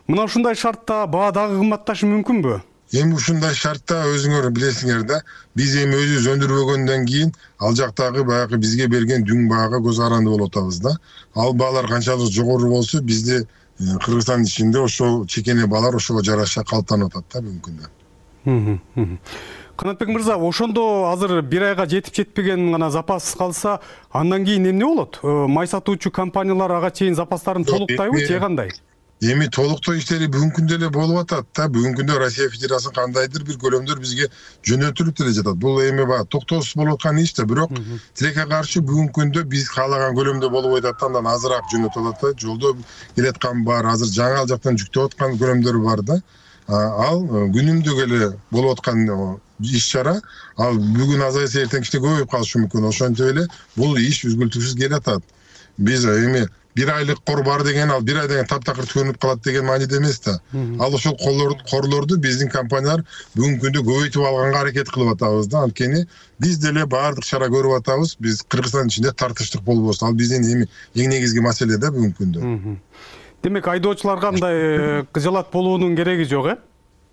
Мына ушундай шартта баа дагы кымбатташы мүмкүнбү? Эми ушундай шартта өзүңөр билесиңер да, биз эми өзүбүз өндүрбөгөндөн кийин ал жактагы баягы бизге берген дүң баага көз каранды болуп атабыз да. Ал баалар канчалык жогору болсо, бизде Кыргызстан ичинде ошол чекене баалар ошого жараша калыптанып атат да бүгүнкү күндө. Канатбек мырза, ошондо азыр 1 айга жетип жетпеген гана запас калса, андан кийин эмне болот? Май сатуучу компаниялар ага чейин запастарын толуктайбы, же кандай? Эми толуктоо иштери бүгүнкү күндө эле болуп атат да. Бүгүнкү күндө Россия Федерациясы кандайдыр бир көлөмдөр бизге жөнөтүлүп деле жатат. Бул эми токтоосуз болуп аткан иш да, бирок тилекке каршы бүгүнкү күндө биз каалаган көлөмдө болбой атат, андан азыраак жөнөтүп атат. Жолдо келаткан бар, азыр жаңы ал жактан жүктөп аткан көлөмдөр бар да. Ал күнүмдүк эле болуп аткан иш чара, ал бүгүн азайса эртең кичине көбөйүп калышы мүмкүн. Ошентип эле бул иш үзгүлтүксүз келатат. Биз эми 1 айлык кор бар деген, ал 1 айдан таптакыр төгүнүп калат деген мааниде эмес да. Ал ошол корлорду биздин компаниялар бүгүнкү күндө көбөйтүп алганга аракет кылып атабыз да. Анткени биз деле баардык чара көрүп атабыз. Биз Кыргызстан ичинде тартыштык болбосун. Ал биздин эми эң негизги маселе да бүгүнкү күндө. Демек айдоочулар кандай кыжалат болуунун кереги жок,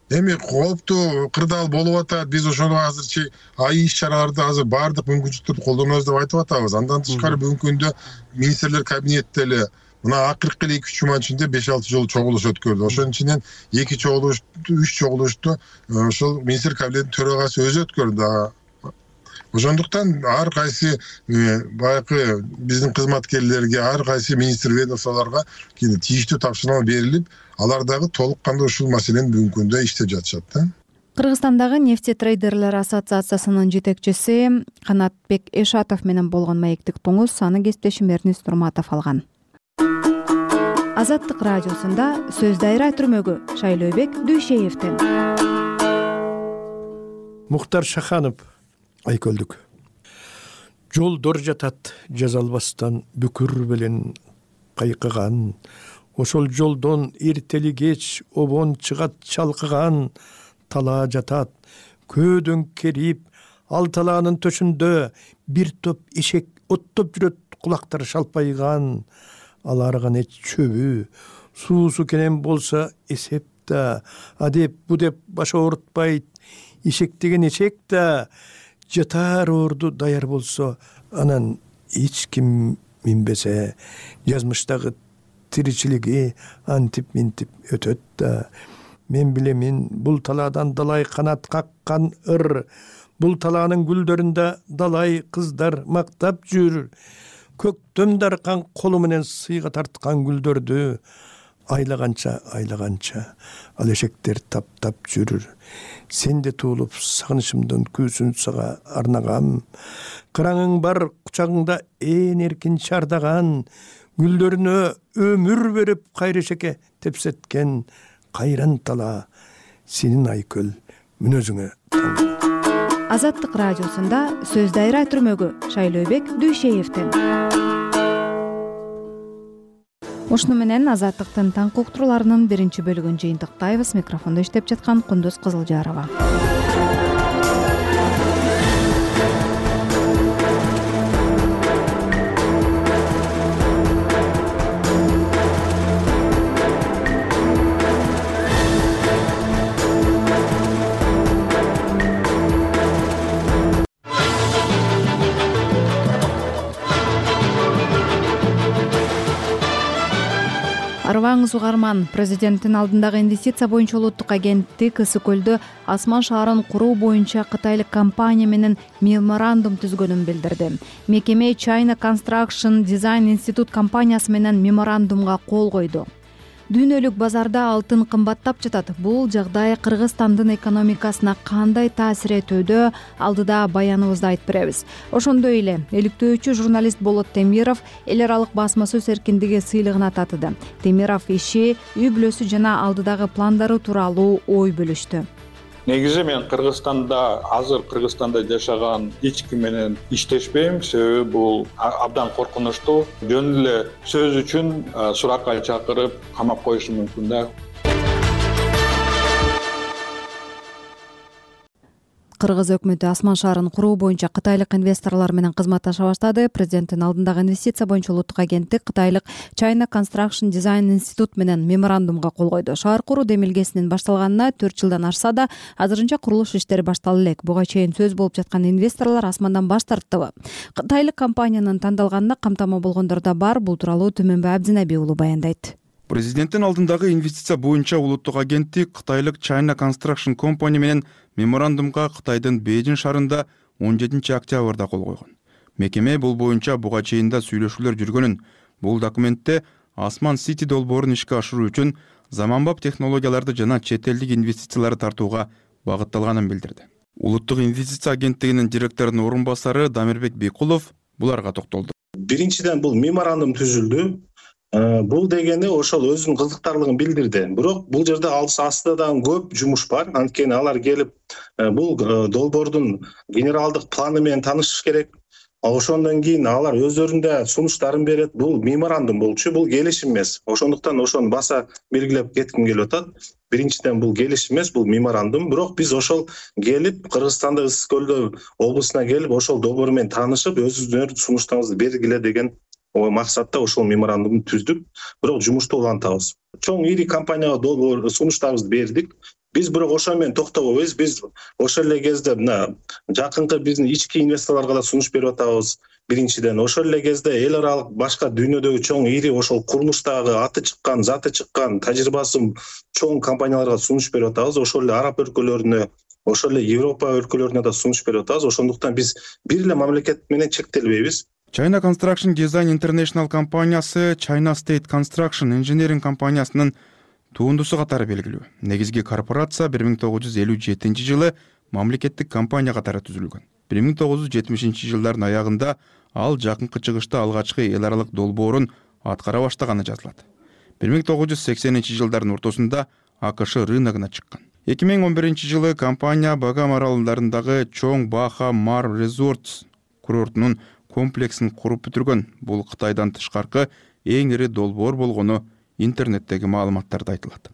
Эми кооптуу кырдаал болуп атат. Биз ошону азырчы иш чараларды азыр баардык мүмкүнчүлүктөрдү колдонобуз деп айтып атабыз. Андан тышкары бүгүнкү күндө министрлер кабинетте эле мына акыркы эле 2-3 жума ичинде 5-6 жолу чогулуш өткөрдү. Ошонун ичинен 2 чогулуш, 3 чогулушту ошол министр кабинетинин төрагасы өзү өткөрдү. Ошондуктан ар кайсы баягы биздин кызматкерлерге, ар кайсы министр ведомстволорго тийиштүү тапшырма берилип, алар дагы толук кандуу ушул маселени бүгүнкү күндө иштеп жатышат да. Кыргызстандагы нефтетрейдерлер ассоциациясынын жетекчиси Канатбек Эшатов менен болгон маектик туңуз аны кесиптешим Эрнис Турматов алган. Азаттык радиосунда сөз дайра түрмөгү Шайлообек Дүйшеевден. Мухтар Шаханов Айкөлдүк. Жолдор жатат жазалбастан бүкүр белен кайкыган. Ошол жолдон эртели кеч обон чыгат чалкыган. Талаа жатат көөдөн керип, ал талаанын төшүндө бир топ эшек оттоп жүрөт, кулактары шалпайган. Аларга эч чөбү, суусу кенен болсо эсеп да, адеп бу деп баш оорутпайт. Эшек деген эшек да, жатар орду даяр болсо, анан эч ким минбесе, жазмыштагы тиричилиги антип-минтип өтөт да. Мен билемин, бул талаадан далай канат каккан ыр, бул талаанын гүлдөрүндө далай кыздар мактап жүр. Көктөм даркан колу менен сыйга тарткан гүлдөрдү айлаганча ал эшектер таптап жүрүр. Сен де туулуп сагынычымдын күүсүн сага арнагам. Кыраңың бар кучагыңда ээн эркин чардаган, гүлдөрүнө өмүр берип кайрешеке тепсеткен кайран талаа сенин Айкөл мүнөзүңө. Азаттык радиосунда сөз дайра түрмөгү Шайлообек Дүйшеевден. Ушуну менен Азаттыктын таңкы уктурууларынын биринчи бөлүгүн жыйынтыктайбыз. Микрофондо иштеп жаткан Кундуз Кызылжарова. Арыбаңыз угарман, президенттин алдындагы инвестиция боюнча улуттук агенттик Ысык көлдө Асман шаарын куруу боюнча кытайлык компания менен меморандум түзгөнүн билдирди. Мекеме China Construction Design Institute компаниясы менен меморандумга кол койду. Дүйнөлүк базарда алтын кымбаттап жатат. Бул жагдай Кыргызстандын экономикасына кандай таасир этүүдө алдыда баяныбызда айтып беребиз. Ошондой эле иликтөөчү журналист Болот Темиров эл аралык басма сөз эркиндиги сыйлыгына татыды. Темиров иши, үй бүлөсү жана алдыдагы пландары тууралуу ой бөлүштү. Негизи мен азыр Кыргызстанда жашаган эч ким менен иштешпейм, себеби бул абдан коркунучтуу. Жөн эле сөз үчүн суракка чакырып камап коюшу мүмкүн да. Кыргыз өкмөтү Асман шаарын куруу боюнча кытайлык инвесторлор менен кызматташа баштады. Президенттин алдындагы инвестиция боюнча улуттук агенттик кытайлык China Construction Design Institute менен меморандумга кол койду. Шаар куруу демилгесинин башталганына 4 жылдан ашса да, азырынча курулуш иштери башталып элек. Буга чейин сөз болуп жаткан инвесторлор Асмандан баш тарттыбы? Кытайлык компаниянын тандалганына камтама болгондор да бар. Бул тууралуу Түмөнбай Абдинаби уулу баяндайт. Президенттин алдындагы инвестиция боюнча улуттук агенттик кытайлык China Construction Company менен меморандумга Кытайдын Бейжин шаарында 17 октябрда кол койгон. Мекеме бул боюнча буга чейин да сүйлөшүүлөр жүргөнүн, бул документте Асман Сити долбоорун ишке ашыруу үчүн заманбап технологияларды жана чет элдик инвестицияларды тартууга багытталганын билдирди. Улуттук инвестиция агенттигинин директорунун орун басары Дамирбек Бейкулов буларга токтолду. Биринчиден бул меморандум түзүлдү. Бул дегени ошол өзүнүн кызыктарлыгын билдирди. Бирок бул жерде астыда дагы көп жумуш бар. Анткени алар келип бул долбоордун генералдык планы менен таанышыш керек. Ошондон кийин алар өздөрүндө сунуштарын берет. Бул меморандум болчу, бул келишим эмес. Ошондуктан ошону баса белгилеп кетким келип атат. Биринчиден бул келишим эмес, бул меморандум. Бирок биз ошол келип Кыргызстанда Ысык көлдө облусуна келип ошол долбоор менен таанышып, өзүңөр сунуштарыңызды бергиле деген максатта ошол меморандумду түздүк, бирок жумушту улантабыз. Чоң ири компанияга долбоор сунуштарыбызды бердик. Биз бирок ошо менен токтобойбуз. Биз ошол эле кезде мына жакынкы биздин ички инвесторлорго да сунуш берип атабыз. Биринчиден, ошол эле кезде эл аралык башка дүйнөдөгү чоң ири ошол курулуштагы аты чыккан, заты чыккан, тажрыйбасы чоң компанияларга сунуш берип атабыз. Ошол эле араб өлкөлөрүнө, ошол эле Европа өлкөлөрүнө да сунуш берип атабыз. Ошондуктан биз бир эле мамлекет менен чектелбейбиз. China Construction Design International компаниясы China State Construction Engineering компаниясынын туындусу катары белгилүү. Негизги корпорация 1957 жылы мамлекеттик компания катары түзүлгөн. 1970 жылдардын аягында ал жакынкы чыгышта алгачкы эл аралык долбоорун аткара баштаганы жазылат. 1980 жылдардын ортосунда АКШ рыногуна чыккан. 2011 жылы компания Багам аралдарындагы чоң Баха Мар Resorts курортунун комплексин куруп бүтүргөн. Бул Кытайдан тышкаркы эң ири долбоор болгону интернеттеги маалыматтарда айтылат.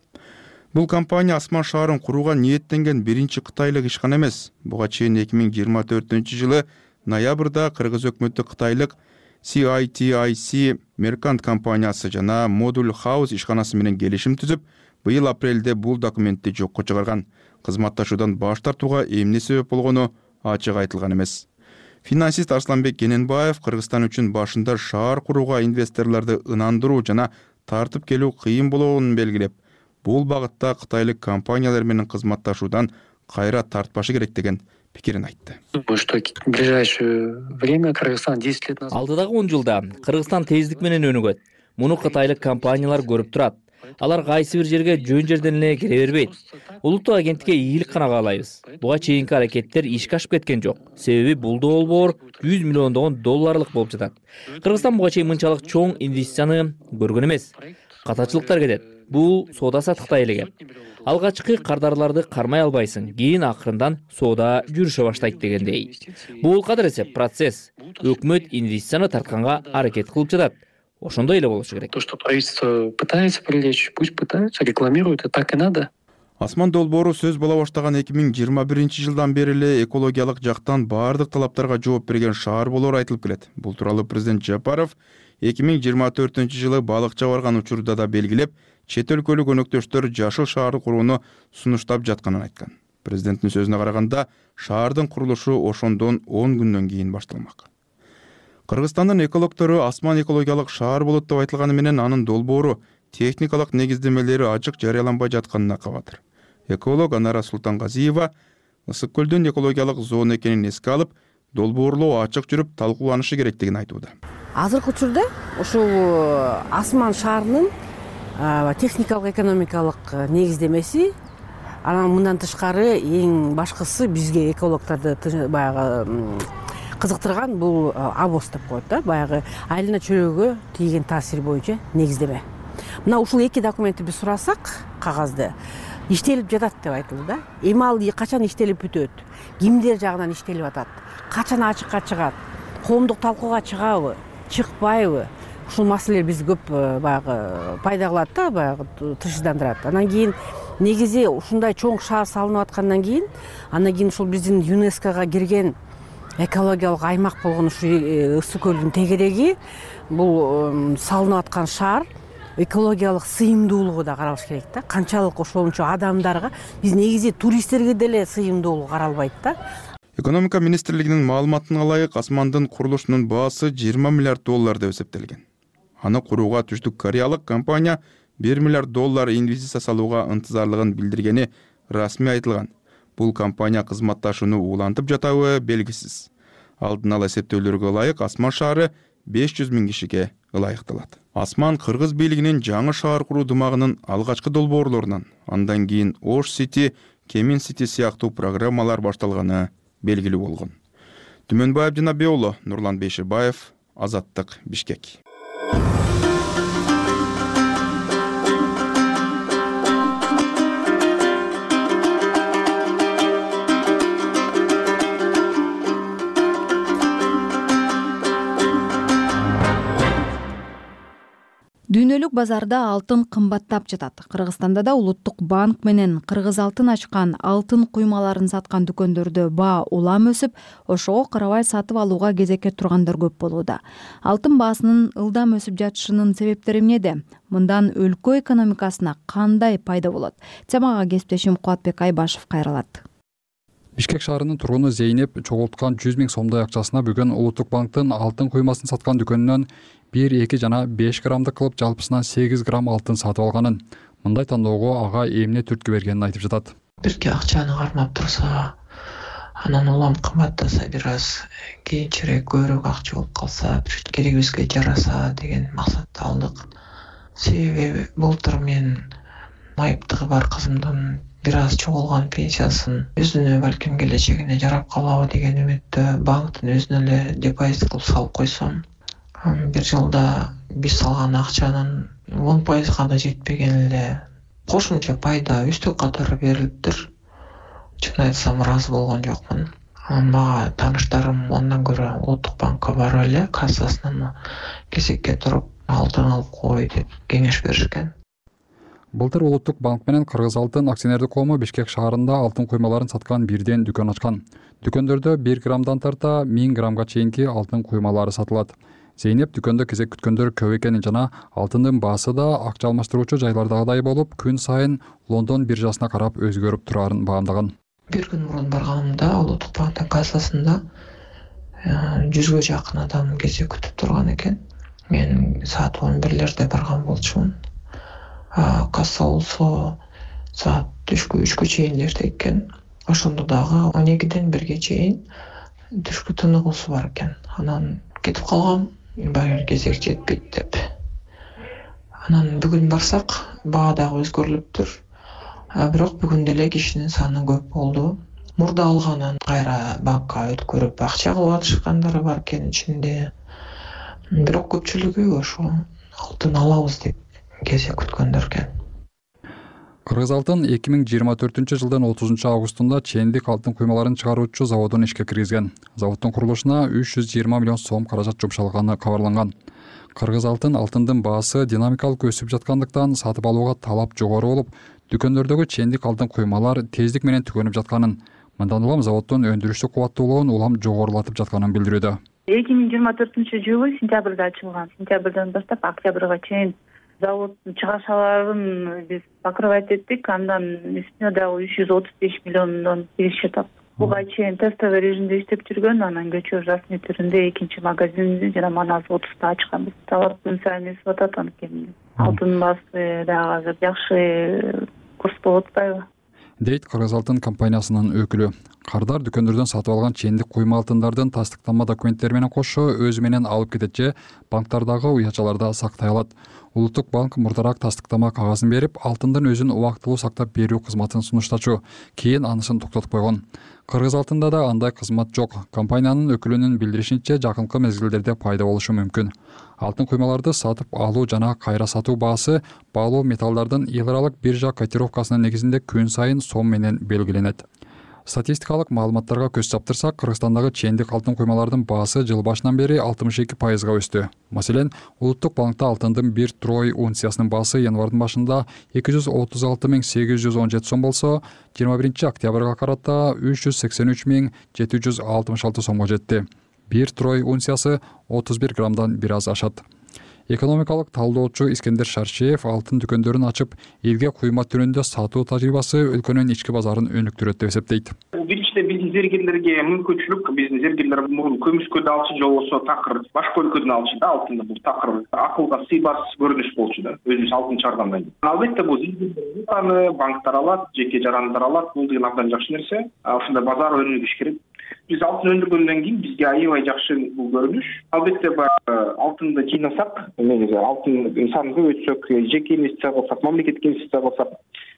Бул компания Асман шаарын курууга ниеттенген биринчи кытайлык ишкана эмес. Буга чейин 2024 жылы ноябрда Кыргыз өкмөтү кытайлык CITIC Mercant компаниясы жана Module House ишканасы менен келишим түзүп, быйыл апрелде бул документти жокко чыгарган. Кызматташуудан баш тартууга эмне себеп болгону ачык айтылган эмес. Финансист Арсланбек Кененбаев Кыргызстан үчүн башында шаар курууга инвесторлорду ынандыруу жана тартып келүү кыйын болгонун белгилеп, бул багытта кытайлык компаниялар менен кызматташуудан кайра тартпашы керек деген пикирин айтты. В ближайшее время Кыргызстан 10 лет назад. Алдыдагы 10 жылда Кыргызстан тездик менен өнүгөт. Муну кытайлык компаниялар көрүп турат. Алар кайсы бир жерге жөн жерден эле кире бербейт. Улуттук агенттикке ийгилик гана каалайбыз. Буга чейинки аракеттер ишке ашып кеткен жок. Себеби бул долбоор 100 миллиондогон долларлык болуп жатат. Кыргызстан буга чейин мынчалык чоң инвестицияны көргөн эмес. Катачылыктар кетет. Бул соода саттыкта элеген. Алгачкы кардарларды кармай албайсың, кийин акырындан соода жүрүшө баштайт дегендей. Бул кадыр эсеп процесс. Өкмөт инвестицияны тартканга аракет кылып жатат. Ошондой эле болушу керек. То, что правительство пытается привлечь, пусть пытаются, рекламируют, и так и надо. Асман долбоору сөз боло баштаган 2021 жылдан бери эле экологиялык жактан баардык талаптарга жооп берген шаар болоору айтылып келет. Бул тууралуу президент Жапаров 2024 жылы балыкча барган учурда да белгилеп, чет өлкөлүк өнөктөштөр жашыл шаар курууну сунуштап жатканын айткан. Президенттин сөзүнө караганда, шаардын курулушу ошондон 10 күндөн кийин башталмак. Кыргызстандын экологтору Асман экологиялык шаар болот деп айтылганы менен анын долбоору техникалык негиздемелери ачык жарыяланбай жатканына кабатыр. Эколог Анара Султангазиева Ысык көлдүн экологиялык зона экенин эске алып, долбоорлоо ачык жүрүп талкууланышы керектигин айтууда. Азыркы учурда ушул Асман шаарынын техникалык экономикалык негиздемеси, анан мындан тышкары эң башкысы бизге экологторду баягы кызыктырган бул АБОС деп коет да, баягы айлана чөлөөгө тийген таасир боюнча негиздеме. Мына ушул эки документти биз сурасак, кагазды иштелип жатат деп айтылды да. Эми ал качан иштелип бүтөт? Кимдер жагынан иштелип атат? Качан ачыкка чыгат? Коомдук талкууга чыгабы, чыкпайбы? Ушул маселелер биз көп баягы пайда кылат да, баягы тышыдандырат. Анан кийин негизи ушундай чоң шаар салынып аткандан кийин, андан кийин ушул биздин ЮНЕСКОга кирген экологиялык аймак болгон ушул Ысык көлдүн тегереги, бул салынып аткан шаар экологиялык сыйымдуулугу да каралыш керек да. Канчалык ошончо адамдарга, биз негизи туристтерге деле сыйымдуулугу каралбайт да. Экономика министрлигинин маалыматына ылайык, Асмандын курулушунун баасы 20 миллиард доллар деп эсептелген. Аны курууга Түштүк Кореялык компания 1 миллиард доллар инвестиция салууга ынтызарлыгын билдиргени расмий айтылган. Бул компания кызматташууну улантып жатабы белгисиз. Алдын ала эсептөөлөргө ылайык Асман шаары 500 000 кишиге ылайыкталат. Асман кыргыз бийлигинин жаңы шаар куруу дымагынын алгачкы долбоорлорунан, андан кийин Ош Сити, Кемин Сити сыяктуу программалар башталганы белгилүү болгон. Түмөнбаев Жанабек уулу, Нурлан Бейшебаев, Азаттык, Бишкек. Дүйнөлүк базарда алтын кымбаттап жатат. Кыргызстанда да Улуттук банк менен Кыргыз алтын ачкан алтын куймаларын саткан дүкөндөрдө баа улам өсүп, ошого карабай сатып алууга кезекке тургандар көп болууда. Алтын баасынын ылдам өсүп жатышынын себептери эмнеде? Мындан өлкө экономикасына кандай пайда болот? Темага кесиптешим Кубатбек Айбашев кайрылат. Бишкек шаарынын тургуну Зейнеп чогулткан 100 000 сомдой акчасына бүгүн Улуттук банктын алтын куймасын саткан дүкөнүнөн 1-2 жана 5 граммдык кылып жалпысынан 8 грамм алтын сатып алганын, мындай тандоого ага эмне түрткү бергенин айтып жатат. Бирки акчаны кармап турса, анан улам кымбаттаса бир аз кийинчерээк көбүрөөк акча болуп калса, керегибизге жараса деген максатта алдык. Себеби былтыр мен майыптыгы бар кызымдын бир аз чогулган пенсиясын өзүнө балким келечегине жарап калабы деген үмүттө банктын өзүнө эле депозит кылып салып койсом, бир жылда биз салган акчанын 10% да жетпеген эле кошумча пайда үстүк катары берилиптир. Чын айтсам ыраазы болгон жокмун. Мага тааныштарым андан көрө Улуттук банкка барып эле кассасынан кезекке туруп алтын алып кой деп кеңеш беришкен. Былтыр Улуттук банк менен Кыргыз алтын акционердик коому Бишкек шаарында алтын куймаларын саткан бирден дүкөн ачкан. Дүкөндөрдө 1 граммдан тарта 1000 граммга чейинки алтын куймалары сатылат. Зейнеп дүкөндө кезек күткөндөр көп экенин жана алтындын баасы да акча алмаштыруучу жайлардагыдай болуп, күн сайын Лондон биржасына карап өзгөрүп турарын баамдаган. Бир күн мурун барганымда Улуттук банктын кассасында 100гө жакын адам кезек күтүп турган экен. Мен саат 11лерде барган болчумун. Касса болсо саат түшкү 3гө чейин эрте экен. Ошондо дагы 12ден 1ге чейин түшкү тыныгуусу бар экен. Анан кетип калгам, баары кезек жетпейт деп. Анан бүгүн барсак, баа дагы өзгөрүлүптүр. Бирок бүгүн деле кишинин саны көп болду. Мурда алганын кайра банкка өткөрүп акча кылып атышкандары бар экен ичинде. Бирок көпчүлүгү ошо алтын алабыз деп кезек күткөндөр экен. Кыргыз алтын 2024 жылдын 30 августунда чендик алтын куймаларын чыгаруучу заводун ишке киргизген. Заводдун курулушуна 320 миллион сом каражат жумшалганы кабарланган. Кыргыз алтындын баасы динамикалык өсүп жаткандыктан сатып алууга талап жогору болуп, дүкөндөрдөгү чендик алтын куймалар тездик менен түгөнүп жатканын, мындан улам заводдун өндүрүштүк кубаттуулугун улам жогорулатып жатканын билдирүүдө. 2024 сентябрда ачылган. Сентябрдан баштап октябрга чейин заводдун чыгашаларын биз покрывать эттик. Андан үстүнө дагы 335 миллиондон киреше таптык. Буга чейин тестовый режимде иштеп жүргөн, анан көчө расмий түрүндө экинчи магазинди жана манас 30-та ачканбыз. Талап күн сайын өсүп атат анткени. Алтын баасы дагы азыр жакшы курс болуп атпайбы? Дейт Кыргыз алтын компаниясынын өкүлү. Кардар дүкөндөрдөн сатып алган чендик куйма алтындардын тастыктанма документтери менен кошо өзү менен алып кетет же банктардагы уячаларда сактай алат. Улуттук банк мурдараак тастыктама кагазын берип, алтындын өзүн убактылуу сактап берүү кызматын сунуштачу, кийин анысын токтотуп койгон. Кыргыз алтында да андай кызмат жок. Компаниянын өкүлүнүн билдиришинче, жакынкы мезгилдерде пайда болушу мүмкүн. Алтын куймаларды сатып алуу жана кайра сатуу баасы баалуу металлдардын эл аралык биржа котировкасынын негизинде күн сайын сом менен белгиленет. Статистикалык маалыматтарга көз чаптырсак, Кыргызстандагы чендик алтын куймалардын баасы жыл башынан бери 62%га өстү. Маселен, Улуттук банкта алтындын 1 трой унциясынын баасы январдын башында 236.817 сом болсо, 21 октябрга карата 383.766 сомго жетти. 1 трой унциясы 31 граммдан бир аз ашат. Экономикалык талдоочу Искендер Шаршеев алтын дүкөндөрүн ачып, элге куйма түрүндө сатуу тажрыйбасы өлкөнүн ички базарын өнүктүрөт деп эсептейт. Биринчиден биздин зергерлерге мүмкүнчүлүк, биздин зергерлер мурун Көмүскөдө алчу же болбосо такыр башка өлкөдөн алчу да алтынды, бул такыр акылга сыйбас көрүнүш болчу да, өзүбүз алтын чыгаргандан кийин. Албетте бул зергерлер банктар алат, жеке жарандар алат, бул деген абдан жакшы нерсе. Ушундай базар өнүгүш керек. Биз алтын өндүргөндөн кийин бизге аябай жакшы бул көрүнүш. Албетте алтынды жыйнасак, негизи алтын санын көбөйтсөк, жеке инвестиция кылсак, мамлекетке инвестиция кылсак,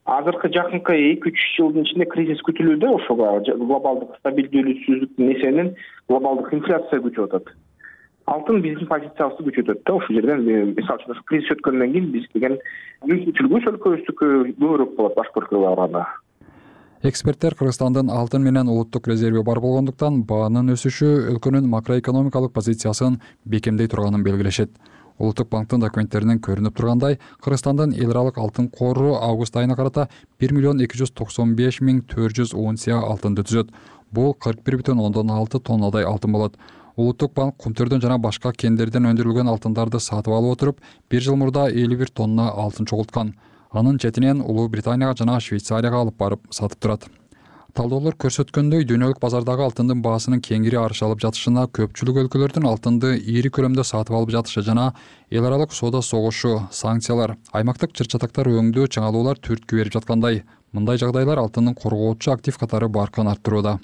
азыркы жакынкы 2-3 жылдын ичинде кризис күтүлүүдө, ошого глобалдык стабилдүүлүксүздүктүн эсебинен глобалдык инфляция күчөп атат. Алтын биздин позициябызды күчөтөт да, ошол жерден мисалы үчүн кризис өткөндөн кийин биз деген мүмкүнчүлүгүбүз өлкөбүздүкү көбүрөөк болот башка өлкөгө караганда. Эксперттер Кыргызстандын алтын менен улуттук резерви бар болгондуктан баанын өсүшү өлкөнүн макроэкономикалык позициясын бекемдей турганын белгилешет. Улуттук банктын документтеринен көрүнүп тургандай, Кыргызстандын эл аралык алтын кору август айына карата 1,295,410 унция алтынды түзөт. Бул 41,6 тоннадай алтын болот. Улуттук банк кумтөрдөн жана башка кендерден өндүрүлгөн алтындарды сатып алып отуруп, 1 жыл мурда 51 тонна алтын чогулткан. Анын четинен Улуу Британияга жана Швейцарияга алып барып сатып турат. Талдоолор көрсөткөндөй, дүйнөлүк базардагы алтындын баасынын кеңири арыш алып жатышына көпчүлүк өлкөлөрдүн алтынды ири көлөмдө сатып алып жатышы жана эл аралык соода согушу, санкциялар, аймактык чыр-чатактар өңдөө чыңалуулар түрткү берип жаткандай. Мындай жагдайлар алтындын коргоочу актив катары баркын арттырууда.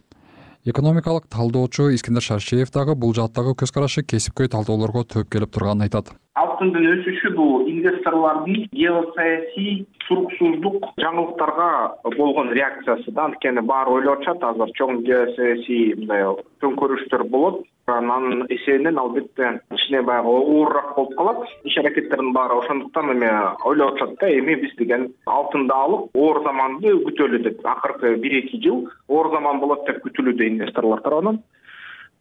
Экономикалык талдоочу Искендер Шаршеев дагы бул жааттагы көз карашы кесипкөй талдоолорго төп келип турганын айтат. Алтындын өсүшү бул инвесторлордун геосаясий туруксуздук жаңылыктарга болгон реакциясы да. Анткени баары ойлоп атышат, азыр чоң геосаясий мындай төңкөрүштөр болот. Анын эсебинен албетте кичине баягы оорураак болуп калат. Иш аракеттердин баары ошондуктан эми ойлоп атышат да, эми биз деген алтынды алып оор заманды күтөлү деп. Акыркы 1-2 жыл оор заман болот деп күтүлүүдө инвесторлор тарабынан.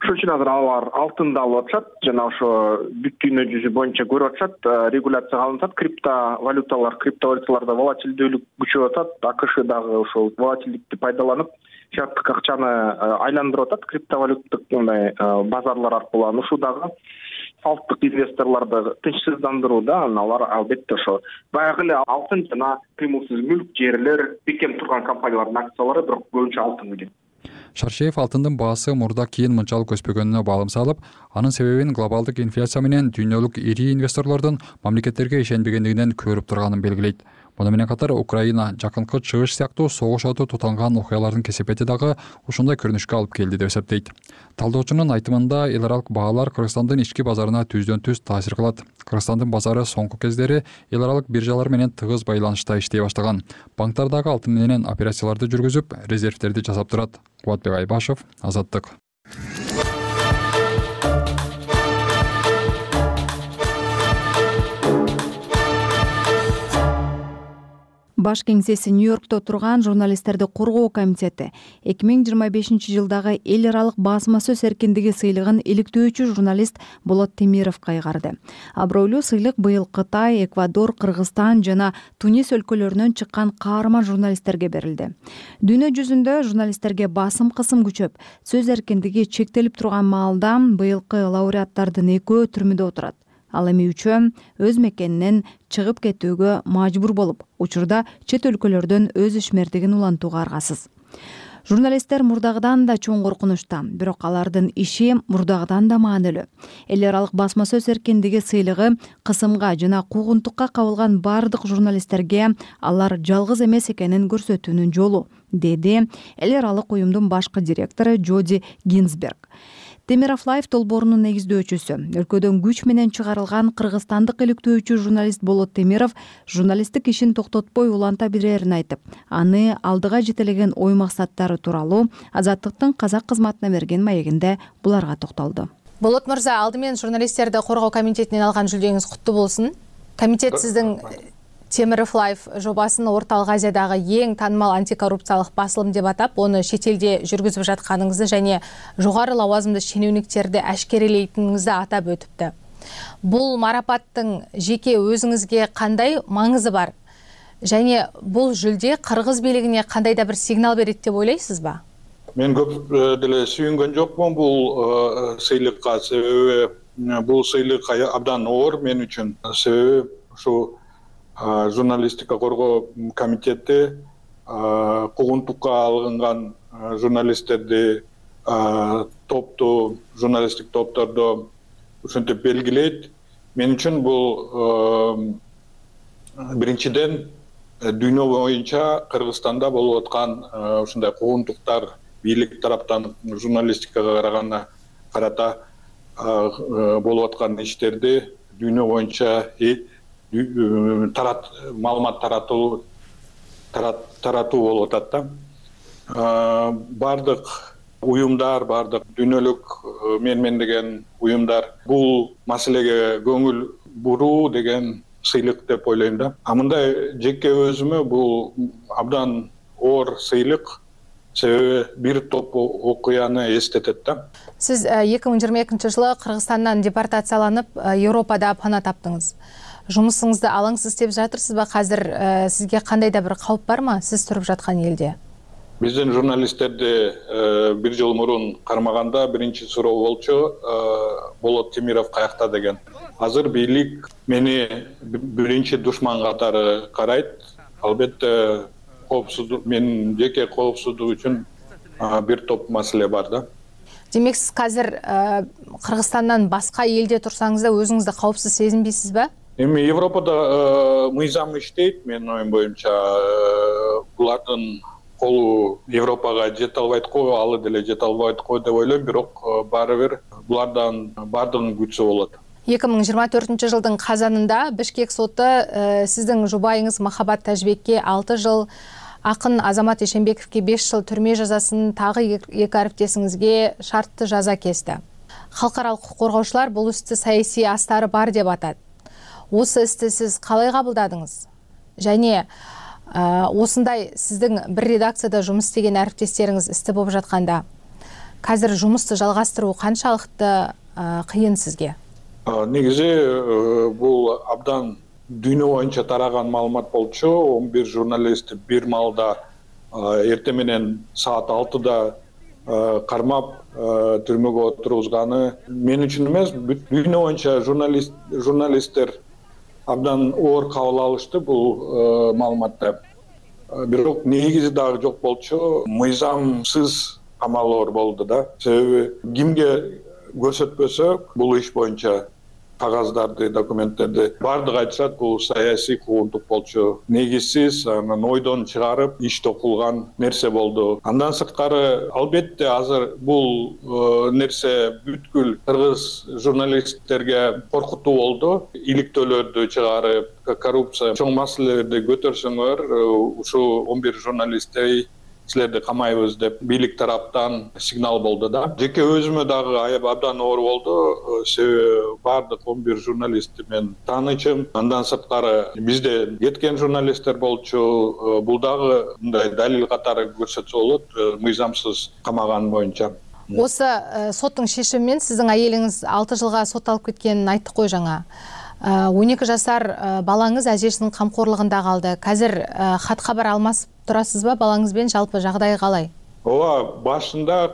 Ошон үчүн азыр алар алтынды алып атышат жана ошо бүт дүйнө жүзү боюнча көрүп атышат, регуляция алынып атат. Криптовалюталарда волатилдүүлүк күчөп атат. АКШ дагы ошол волатилдикти пайдаланып шарттык акчаны айландырып атат криптовалюттук мындай базарлар аркылуу. Ушул дагы салттык инвесторлорду тынчсыздандырууда. Алар албетте ошо баягы эле алтын жана кыймылсыз мүлк, жерлер, бекем турган компаниялардын акциялары, бирок көбүнчө алтын келет. Шаршеев алтындын баасы мурда кийин мынчалык өспөгөнүнө баалым салып, анын себебин глобалдык инфляция менен дүйнөлүк ири инвесторлордун мамлекеттерге ишенбегендигинен көрүп турганын белгилейт. Муну менен катар Украина, жакынкы чыгыш сыяктуу согуш оту тутанган окуялардын кесепети дагы ушундай көрүнүшкө алып келди деп эсептейт. Талдоочунун айтымында, эл аралык баалар Кыргызстандын ички базарына түздөн-түз таасир кылат. Кыргызстандын базары соңку кездери эл аралык биржалар менен тыгыз байланышта иштей баштаган. Банктар дагы алтын менен операцияларды жүргүзүп, резервтерди жасап турат. Кубатбек Айбашев, Азаттык. Баш кеңсеси Нью-Йоркто турган журналисттерди коргоо комитети 2025 жылдагы эл аралык басма сөз эркиндиги сыйлыгын иликтөөчү журналист Болот Темировго кайгарды. Абройлуу сыйлык быйыл Кытай, Эквадор, Кыргызстан жана Тунис өлкөлөрүнөн чыккан каарман журналисттерге берилди. Дүйнө жүзүндө журналисттерге басым кысым күчөп, сөз эркиндиги чектелип турган маалда быйылкы лауреаттардын экөө түрмөдө отурат. Ал эми үчөө өз мекенинен чыгып кетүүгө мажбур болуп, учурда чет өлкөлөрдөн өз ишмердигин улантууга аргасыз. Журналисттер мурдагыдан да чоң коркунучта, бирок алардын иши мурдагыдан да маанилүү. Эл аралык басма сөз эркиндиги сыйлыгы кысымга жана куугунтукка кабылган бардык журналисттерге алар жалгыз эмес экенин көрсөтүүнүн жолу, деди эл аралык уюмдун башкы директору Джоди Гинзберг. Темиров Лайф долбоорунун негиздөөчүсү, өлкөдөн күч менен чыгарылган кыргызстандык иликтөөчү журналист Болот Темиров журналисттик ишин токтотпой уланта берерин айтып, аны алдыга жетелеген ой максаттары тууралуу Азаттыктын казак кызматына берген маегинде буларга токтолду. Болот мырза, алдымен журналисттерди коргоо комитетинен алган жүлдөңүз куттуу болсун. Комитет сиздин Темиров Лайф жобасын Орталык Азиядагы эң таанымал антикоррупциялык басылым деп атап, оны чет элде жүргүзүп жатканыңызды және жогору лауазымды шенеуниктерди ашкерелейтиниңизди атап өтүптү. Бул марапаттын жеке өзүңүзгө кандай маңызы бар? Және бул жүлде кыргыз бийлигине кандай да бир сигнал берет деп ойлойсузбу? Мен көп деле сүйүнгөн жокмун бул сыйлыкка, себеби бул сыйлык абдан оор мен үчүн. Себеби ушу журналистика коргоо комитети куугунтукка алынган журналисттерди топту, журналисттик топторду ушинтип белгилейт. Мен үчүн бул биринчиден дүйнө боюнча Кыргызстанда болуп аткан ушундай куугунтуктар бийлик тараптан журналистикага карата болуп аткан иштерди дүйнө боюнча маалымат таратуу болуп атат да. Бардык уюмдар, бардык дүйнөлүк менмендеген уюмдар бул маселеге көңүл буруу деген сыйлык деп ойлойм да. Мындай жеке өзүмө бул абдан оор сыйлык. себеби бир топ окуяны эстетет да. Сиз 2022 жылы Кыргызстандан депортацияланып Европада пана таптыңыз. Жумусуңузду алаңсыз деп жатырсызбы? Азыр сизге кандай да бир кауп бармы сиз туруп жаткан элде? Биздин журналисттерди бир жыл мурун кармаганда биринчи суроо болчу Болот Темиров каякта деген. Азыр бийлик мени биринчи душман катары карайт. Албетте коопсуздук, менин жеке коопсуздук үчүн бир топ маселе бар да. Демек сиз азыр Кыргызстандан башка элде турсаңыз да өзүңүздү коопсуз сезинбейсизби? Эми Европада мыйзам иштейт, менин оюм боюнча. Булардын колу Европага жете албайт го, алы деле жете албайт го деп ойлойм, бирок баары бир булардан бардыгын күтсө болот. 2024 жылдын казанында Бишкек соту сиздин жубайыңыз Махабат Тажбекке 6 жыл, акын Азамат Эшенбековке 5 жыл түрмө жазасын, тагы 2 ариптесиңизге шартты жаза кести. Халкаралык укук коргоочулар бул істі саясий астары бар деп атат. Осы істі сиз калай кабылдадыңыз? Және осындай сиздин бир редакцияда жумуш істеген ариптестериңиз істі болуп жатканда, азыр жумушту жалгастыруу канчалыкты кыйын сизге? Негизи бул абдан дүйнө боюнча тараган маалымат болчу. 11 журналист бир маалда эртең менен саат 6-да кармап түрмөгө отургузганы мен үчүн эмес, дүйнө боюнча журналисттер абдан оор кабыл алышты бул маалыматты. Бирок негизи дагы жок болчу. Мыйзамсыз камалоор болду да. Себеби кимге көрсөтпөсөк, бул иш боюнча кагаздарды, документтерди бардыгы айтышат, бул саясий куугунтук болчу. Негизсиз, анан ойдон чыгарып иште кылган нерсе болду. Андан сырткары, албетте азыр бул нерсе бүткүл кыргыз журналисттерге коркутуу болду. Иликтөөлөрдү чыгарып, коррупция чоң маселелерди көтөрсөңөр, ушу 11 журналисттей силерди камайбыз деп бийлик тараптан сигнал болду да. Жеке өзүмө дагы абдан оор болду. Себеби бардык 11 журналистти мен таанычым. Андан сырткары бизде кеткен журналисттер болчу. Бул дагы мындай далил катары көрсөтсө болот, мыйзамсыз камаган боюнча. Осы соттун шешими менен сиздин айелиңиз 6 жылга сотталып кеткенин айттык кой жаңа. 12 жашар балаңыз ажесинин камкорлугунда калды. Азыр хат кабар алмасып турасызбы балаңызбен, жалпы жагдайы калай? Ооба, башында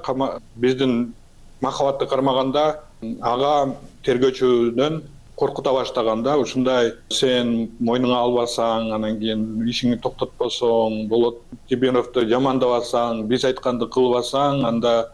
биздин Махабатты кармаганда ага тергөөчүдөн коркута баштаганда, ушундай сен мойнуңа албасаң, анан кийин ишиңди токтотпосоң, Болот Темировду жамандабасаң, биз айтканды кылбасаң, анда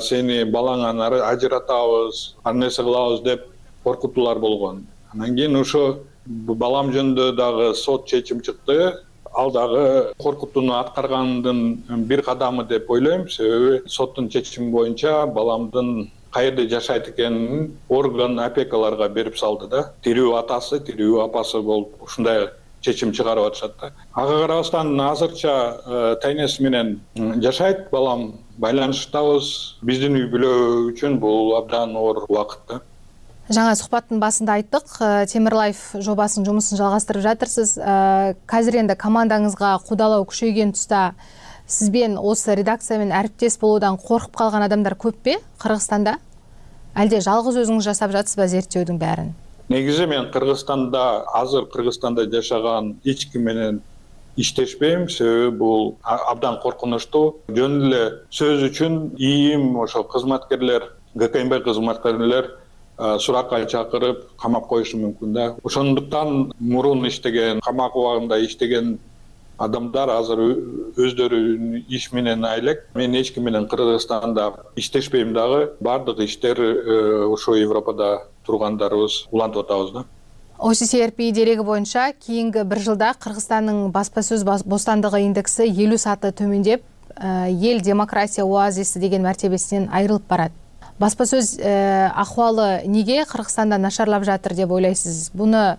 сени балаңан ажыратабыз, ар нерсе кылабыз деп коркутуулар болгон. Анан кийин ошо балам жөнүндө дагы сот чечим чыкты. Ал дагы коркутууну аткаргандын бир кадамы деп ойлойм. Себеби соттун чечими боюнча баламдын каерде жашайт экенин орган опекаларга берип салды да. Тирүү атасы, тирүү апасы болуп ушундай чечим чыгарып атышат да. Ага карабастан азырча тайнеси менен жашайт балам, байланыштабыз. Биздин үй бүлө үчүн бул абдан оор убакыт да. Жаңа сухбаттын басында айттык, Темир Лайф жобасынын жумушун жалгастырып жатырсыз. Азыр энди командаңызга кудалоо күчөйгөн туста сизбен осы редакция менен ариптес болуудан коркуп калган адамдар көппү Кыргызстанда? Алде жалгыз өзүңүз жасап жатсызбы зерттөөдүн баарын? Негизи мен азыр Кыргызстанда жашаган эч ким менен иштешпейм, себеби бул абдан коркунучтуу. Жөн эле сөз үчүн ИИМ, ошо кызматкерлер, ГКМБ кызматкерлер суракка чакырып камап коюшу мүмкүн да. Ошондуктан мурун иштеген, камак убагында иштеген адамдар азыр өздөрүнүн иш менен айлек. Мен эч ким менен Кыргызстанда иштешпейм дагы. Бардык иштер ошо Европада тургандарыбыз улантып атабыз да. OCCRP дерегі боюнча кийинки 1 жылда Кыргызстандын баспа сөз бостандыгы индекси 50 саты төмөндөп, эл демократия оазиси деген мартебесинен айрылып барат. Баспа сөз акыбалы неге Кыргызстанда нашарлап жатыр деп ойлойсуз? Буну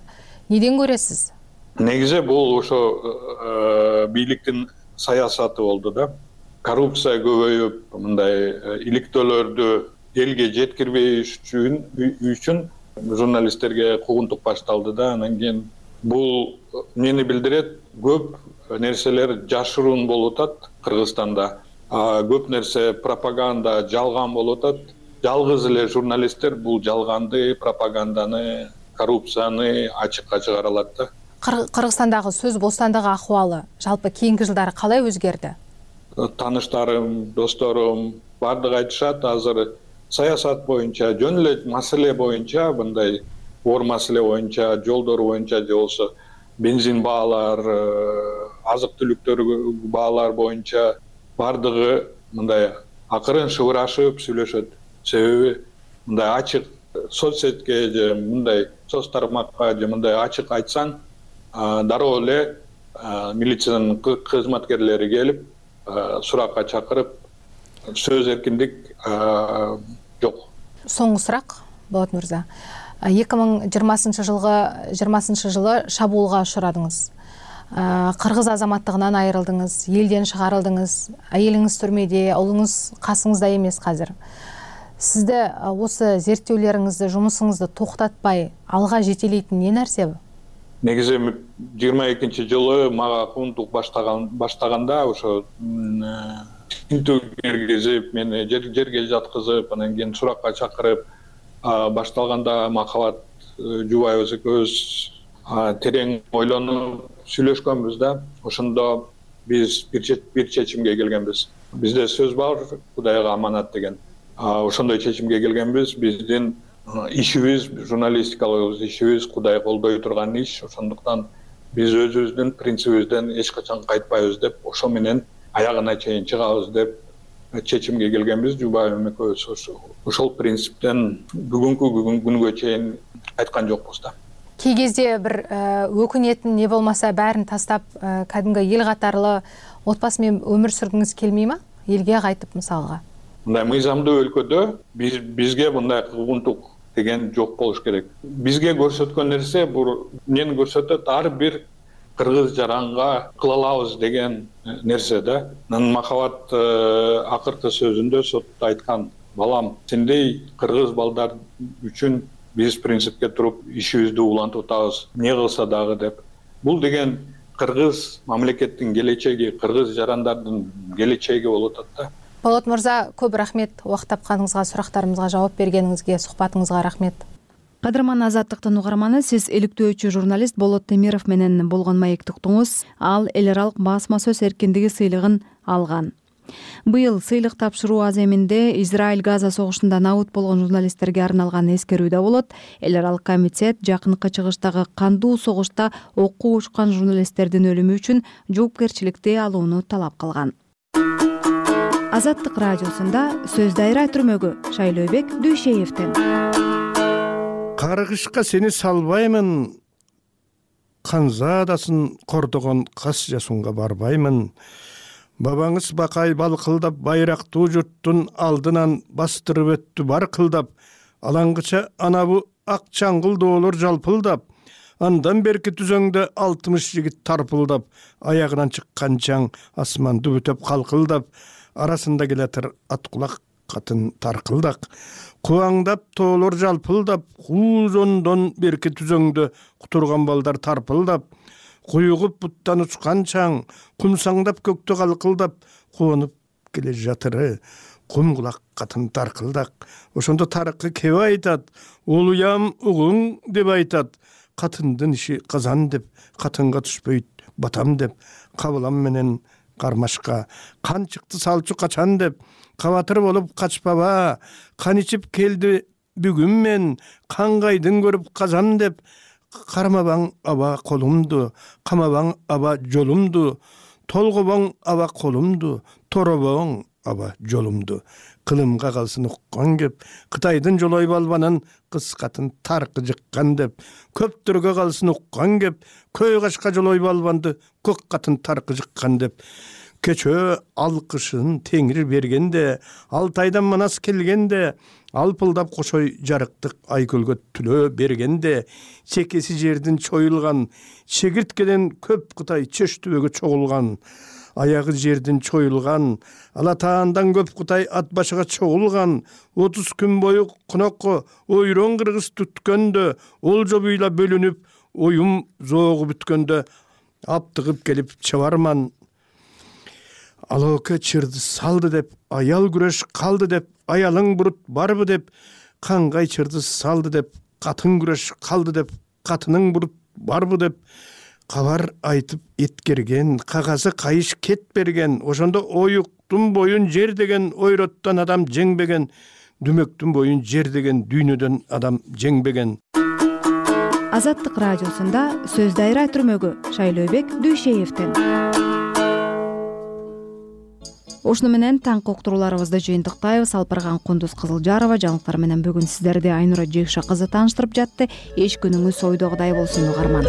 неден көрөсүз? Негизи бул ошо бийликтин саясаты болду да. Коррупция көбөйүп, мындай иликтөөлөрдү элге жеткирбей үчүн журналисттерге куугунтук башталды да. Анан кийин бул эмнени билдирет? Көп нерселер жашыруун болуп атат Кыргызстанда. көп нерсе пропаганда жалган болуп атат. Жалгыз эле журналисттер бул жалганды, пропаганданы, коррупцияны ачыкка чыгара алат да. Кыргызстандагы сөз бостандыгы акыбалы жалпы кийинки жылдары калай өзгөрдү? Тааныштарым, досторум баардыгы айтышат, азыр саясат боюнча, жөн эле маселе боюнча, мындай оор маселе боюнча, жолдор боюнча же болбосо бензин баалар, азык-түлүктөр баалар боюнча баардыгы мындай акырын шыбырашып сүйлөшөт. Себеби мындай ачык соцсетке же мындай соц тармакка же мындай ачык айтсаң, дароо эле милициянын кызматкерлери келип суракка чакырып, сөз эркиндик жок. Соңку сурак, Болот мырза. 2020 жылы шабуулга учурадыңыз. Кыргыз азаматтыгынан айрылдыңыз, элден чыгарылдыңыз, айылыңыз түрмөдө, улуңуз касыңызда эмес казыр. Сизде осы зерттөөлөрүңүздү, жумусуңузду токтотпай алга жетелейтин эмне нерсе? Негизи 22 жылы мага куундук баштаганда ошо тинтүү киргизип, мени жерге жаткызып, анан кийин суракка чакырып башталганда Махабат Жубаева экөөбүз терең ойлонуп сүйлөшкөнбүз да. Ошондо биз бир чечимге келгенбиз. Бизде сөз бар, Кудайга аманат деген. Ошондой чечимге келгенбиз. Биздин ишибиз, журналистикалык ишибиз Кудай колдой турган иш. Ошондуктан биз өзүбүздүн принцибибизден эч качан кайтпайбыз деп, ошо менен аягына чейин чыгабыз деп чечимге келгенбиз. Жубаева экөөбүз ошол принциптен бүгүнкү күнгө чейин кайткан жокпуз да. Кей кезде бир өкүнетін не болмаса бәрін тастап, кәдімгі ел қатарлы отбасымен өмір сүргіңіз келмей ма? Елге қайтып мысалға? Мындай мыйзамдуу өлкөдө бизге мындай куугунтук деген жок болуш керек. Бизге көрсөткөн нерсе бул эмнени көрсөтөт? Ар бир кыргыз жаранга кыла алабыз деген нерсе да. Махабат акыркы сөзүндө сотто айткан: балам, сендей кыргыз балдар үчүн биз принципке туруп ишибизди улантып атабыз, эмне кылса дагы деп. Бул деген кыргыз мамлекеттин келечеги, кыргыз жарандардын келечеги болуп атат да. Болот мырза, көп рахмет убакыт тапканыңызга, сурактарымызга жооп бергениңизге, сухбатыңызга рахмет. Кадырман Азаттыктын угарманы, сиз иликтөөчү журналист Болот Темиров менен болгон маектиктуңуз. Ал эл аралык басма сөз эркиндиги сыйлыгын алган. Быйыл сыйлык тапшыруу аземинде Израиль-Газа согушунда набыт болгон журналисттерге арналган эскерүү да болот. Эл аралык комитет жакынкы чыгыштагы кандуу согушта окко учкан журналисттердин өлүмү үчүн жоопкерчиликти алууну талап кылган. Азаттык радиосунда сөз дайра түрмөгү Шайлообек Дүйшеевден. Каргышка сени салбаймын, канзадасын кордогон кас жасунга барбаймын. Бабаңыз бакай балкылдап байрактуу журттун алдынан бастырып өттү бар кылдап. Алаңгыча анабу ак чаңгыл доолор жалпылдап. Андан берки түзөңдө 60 жигит тарпылдап. Аягынан чыккан чаң асманды бүтөп калкылдап. Арасында келатыр аткулак катын таркылдак. Кубаңдап тоолор жалпылдап. Куузондон берки түзөңдө кутурган балдар тарпылдап. Куюгуп буттан учкан чаң, кумсаңдап көктө калкылдап, куунуп келе жатыры, кумгулак катын таркылдак. Ошондо тарыкы кеп айтат, улуям угуң деп айтат. Катындын иши казан деп, катынга түшпөйт батам деп, кабылам менен кармашка, кан чыкты салчу качан деп, кабатыр болуп качпаба, кан ичип келди бүгүн мен, кангайдын көрүп казан деп, кармабаң аба колумду, камабаң аба жолумду, толгобоң аба колумду, торобоң аба жолумду. Кылымга калсын уккан кеп, Кытайдын жолой балбанын кыз катын таркы жыккан деп, көптөргө калсын уккан кеп, көй кашка жолой балбанды көк катын таркы жыккан деп. Кечөө алкышын теңир бергенде, Алтайдан манас келгенде, алпылдап кошой жарыктык айкөлгө түлөө бергенде, чекеси жердин чоюлган, чегирткеден көп Кытай чөш түбөгө чогулган, аягы жердин чоюлган, Алатаандан көп Кытай ат башыга чогулган, 30 күн бою конокко ойрон кыргыз түткөндө, олжо буйла бөлүнүп, оюм зоогу бүткөндө, аптыгып келип чабарман. алооке чырды салды деп, аял күрөш калды деп, аялың бурут барбы деп, каңгай чырды салды деп, катын күрөш калды деп, катының бурут барбы деп, кабар айтып эткерген, кагазы кайыш кет берген, ошондо оюктун боюн жер деген ойроттон адам жеңбеген, дүмөктүн боюн жер деген дүйнөдөн адам жеңбеген. Азаттык радиосунда сөз дайра түрмөгү Шайлообек Дүйшеевден. Ошону менен таңкы уктурууларыбызды жыйынтыктайбыз. Алпарган Кундуз Кызылжарова жаңылыктар менен бүгүн сиздерди Айнура Жекша кызы тааныштырып жатты. Эч күнүңүз ойдогудай болсун угарман.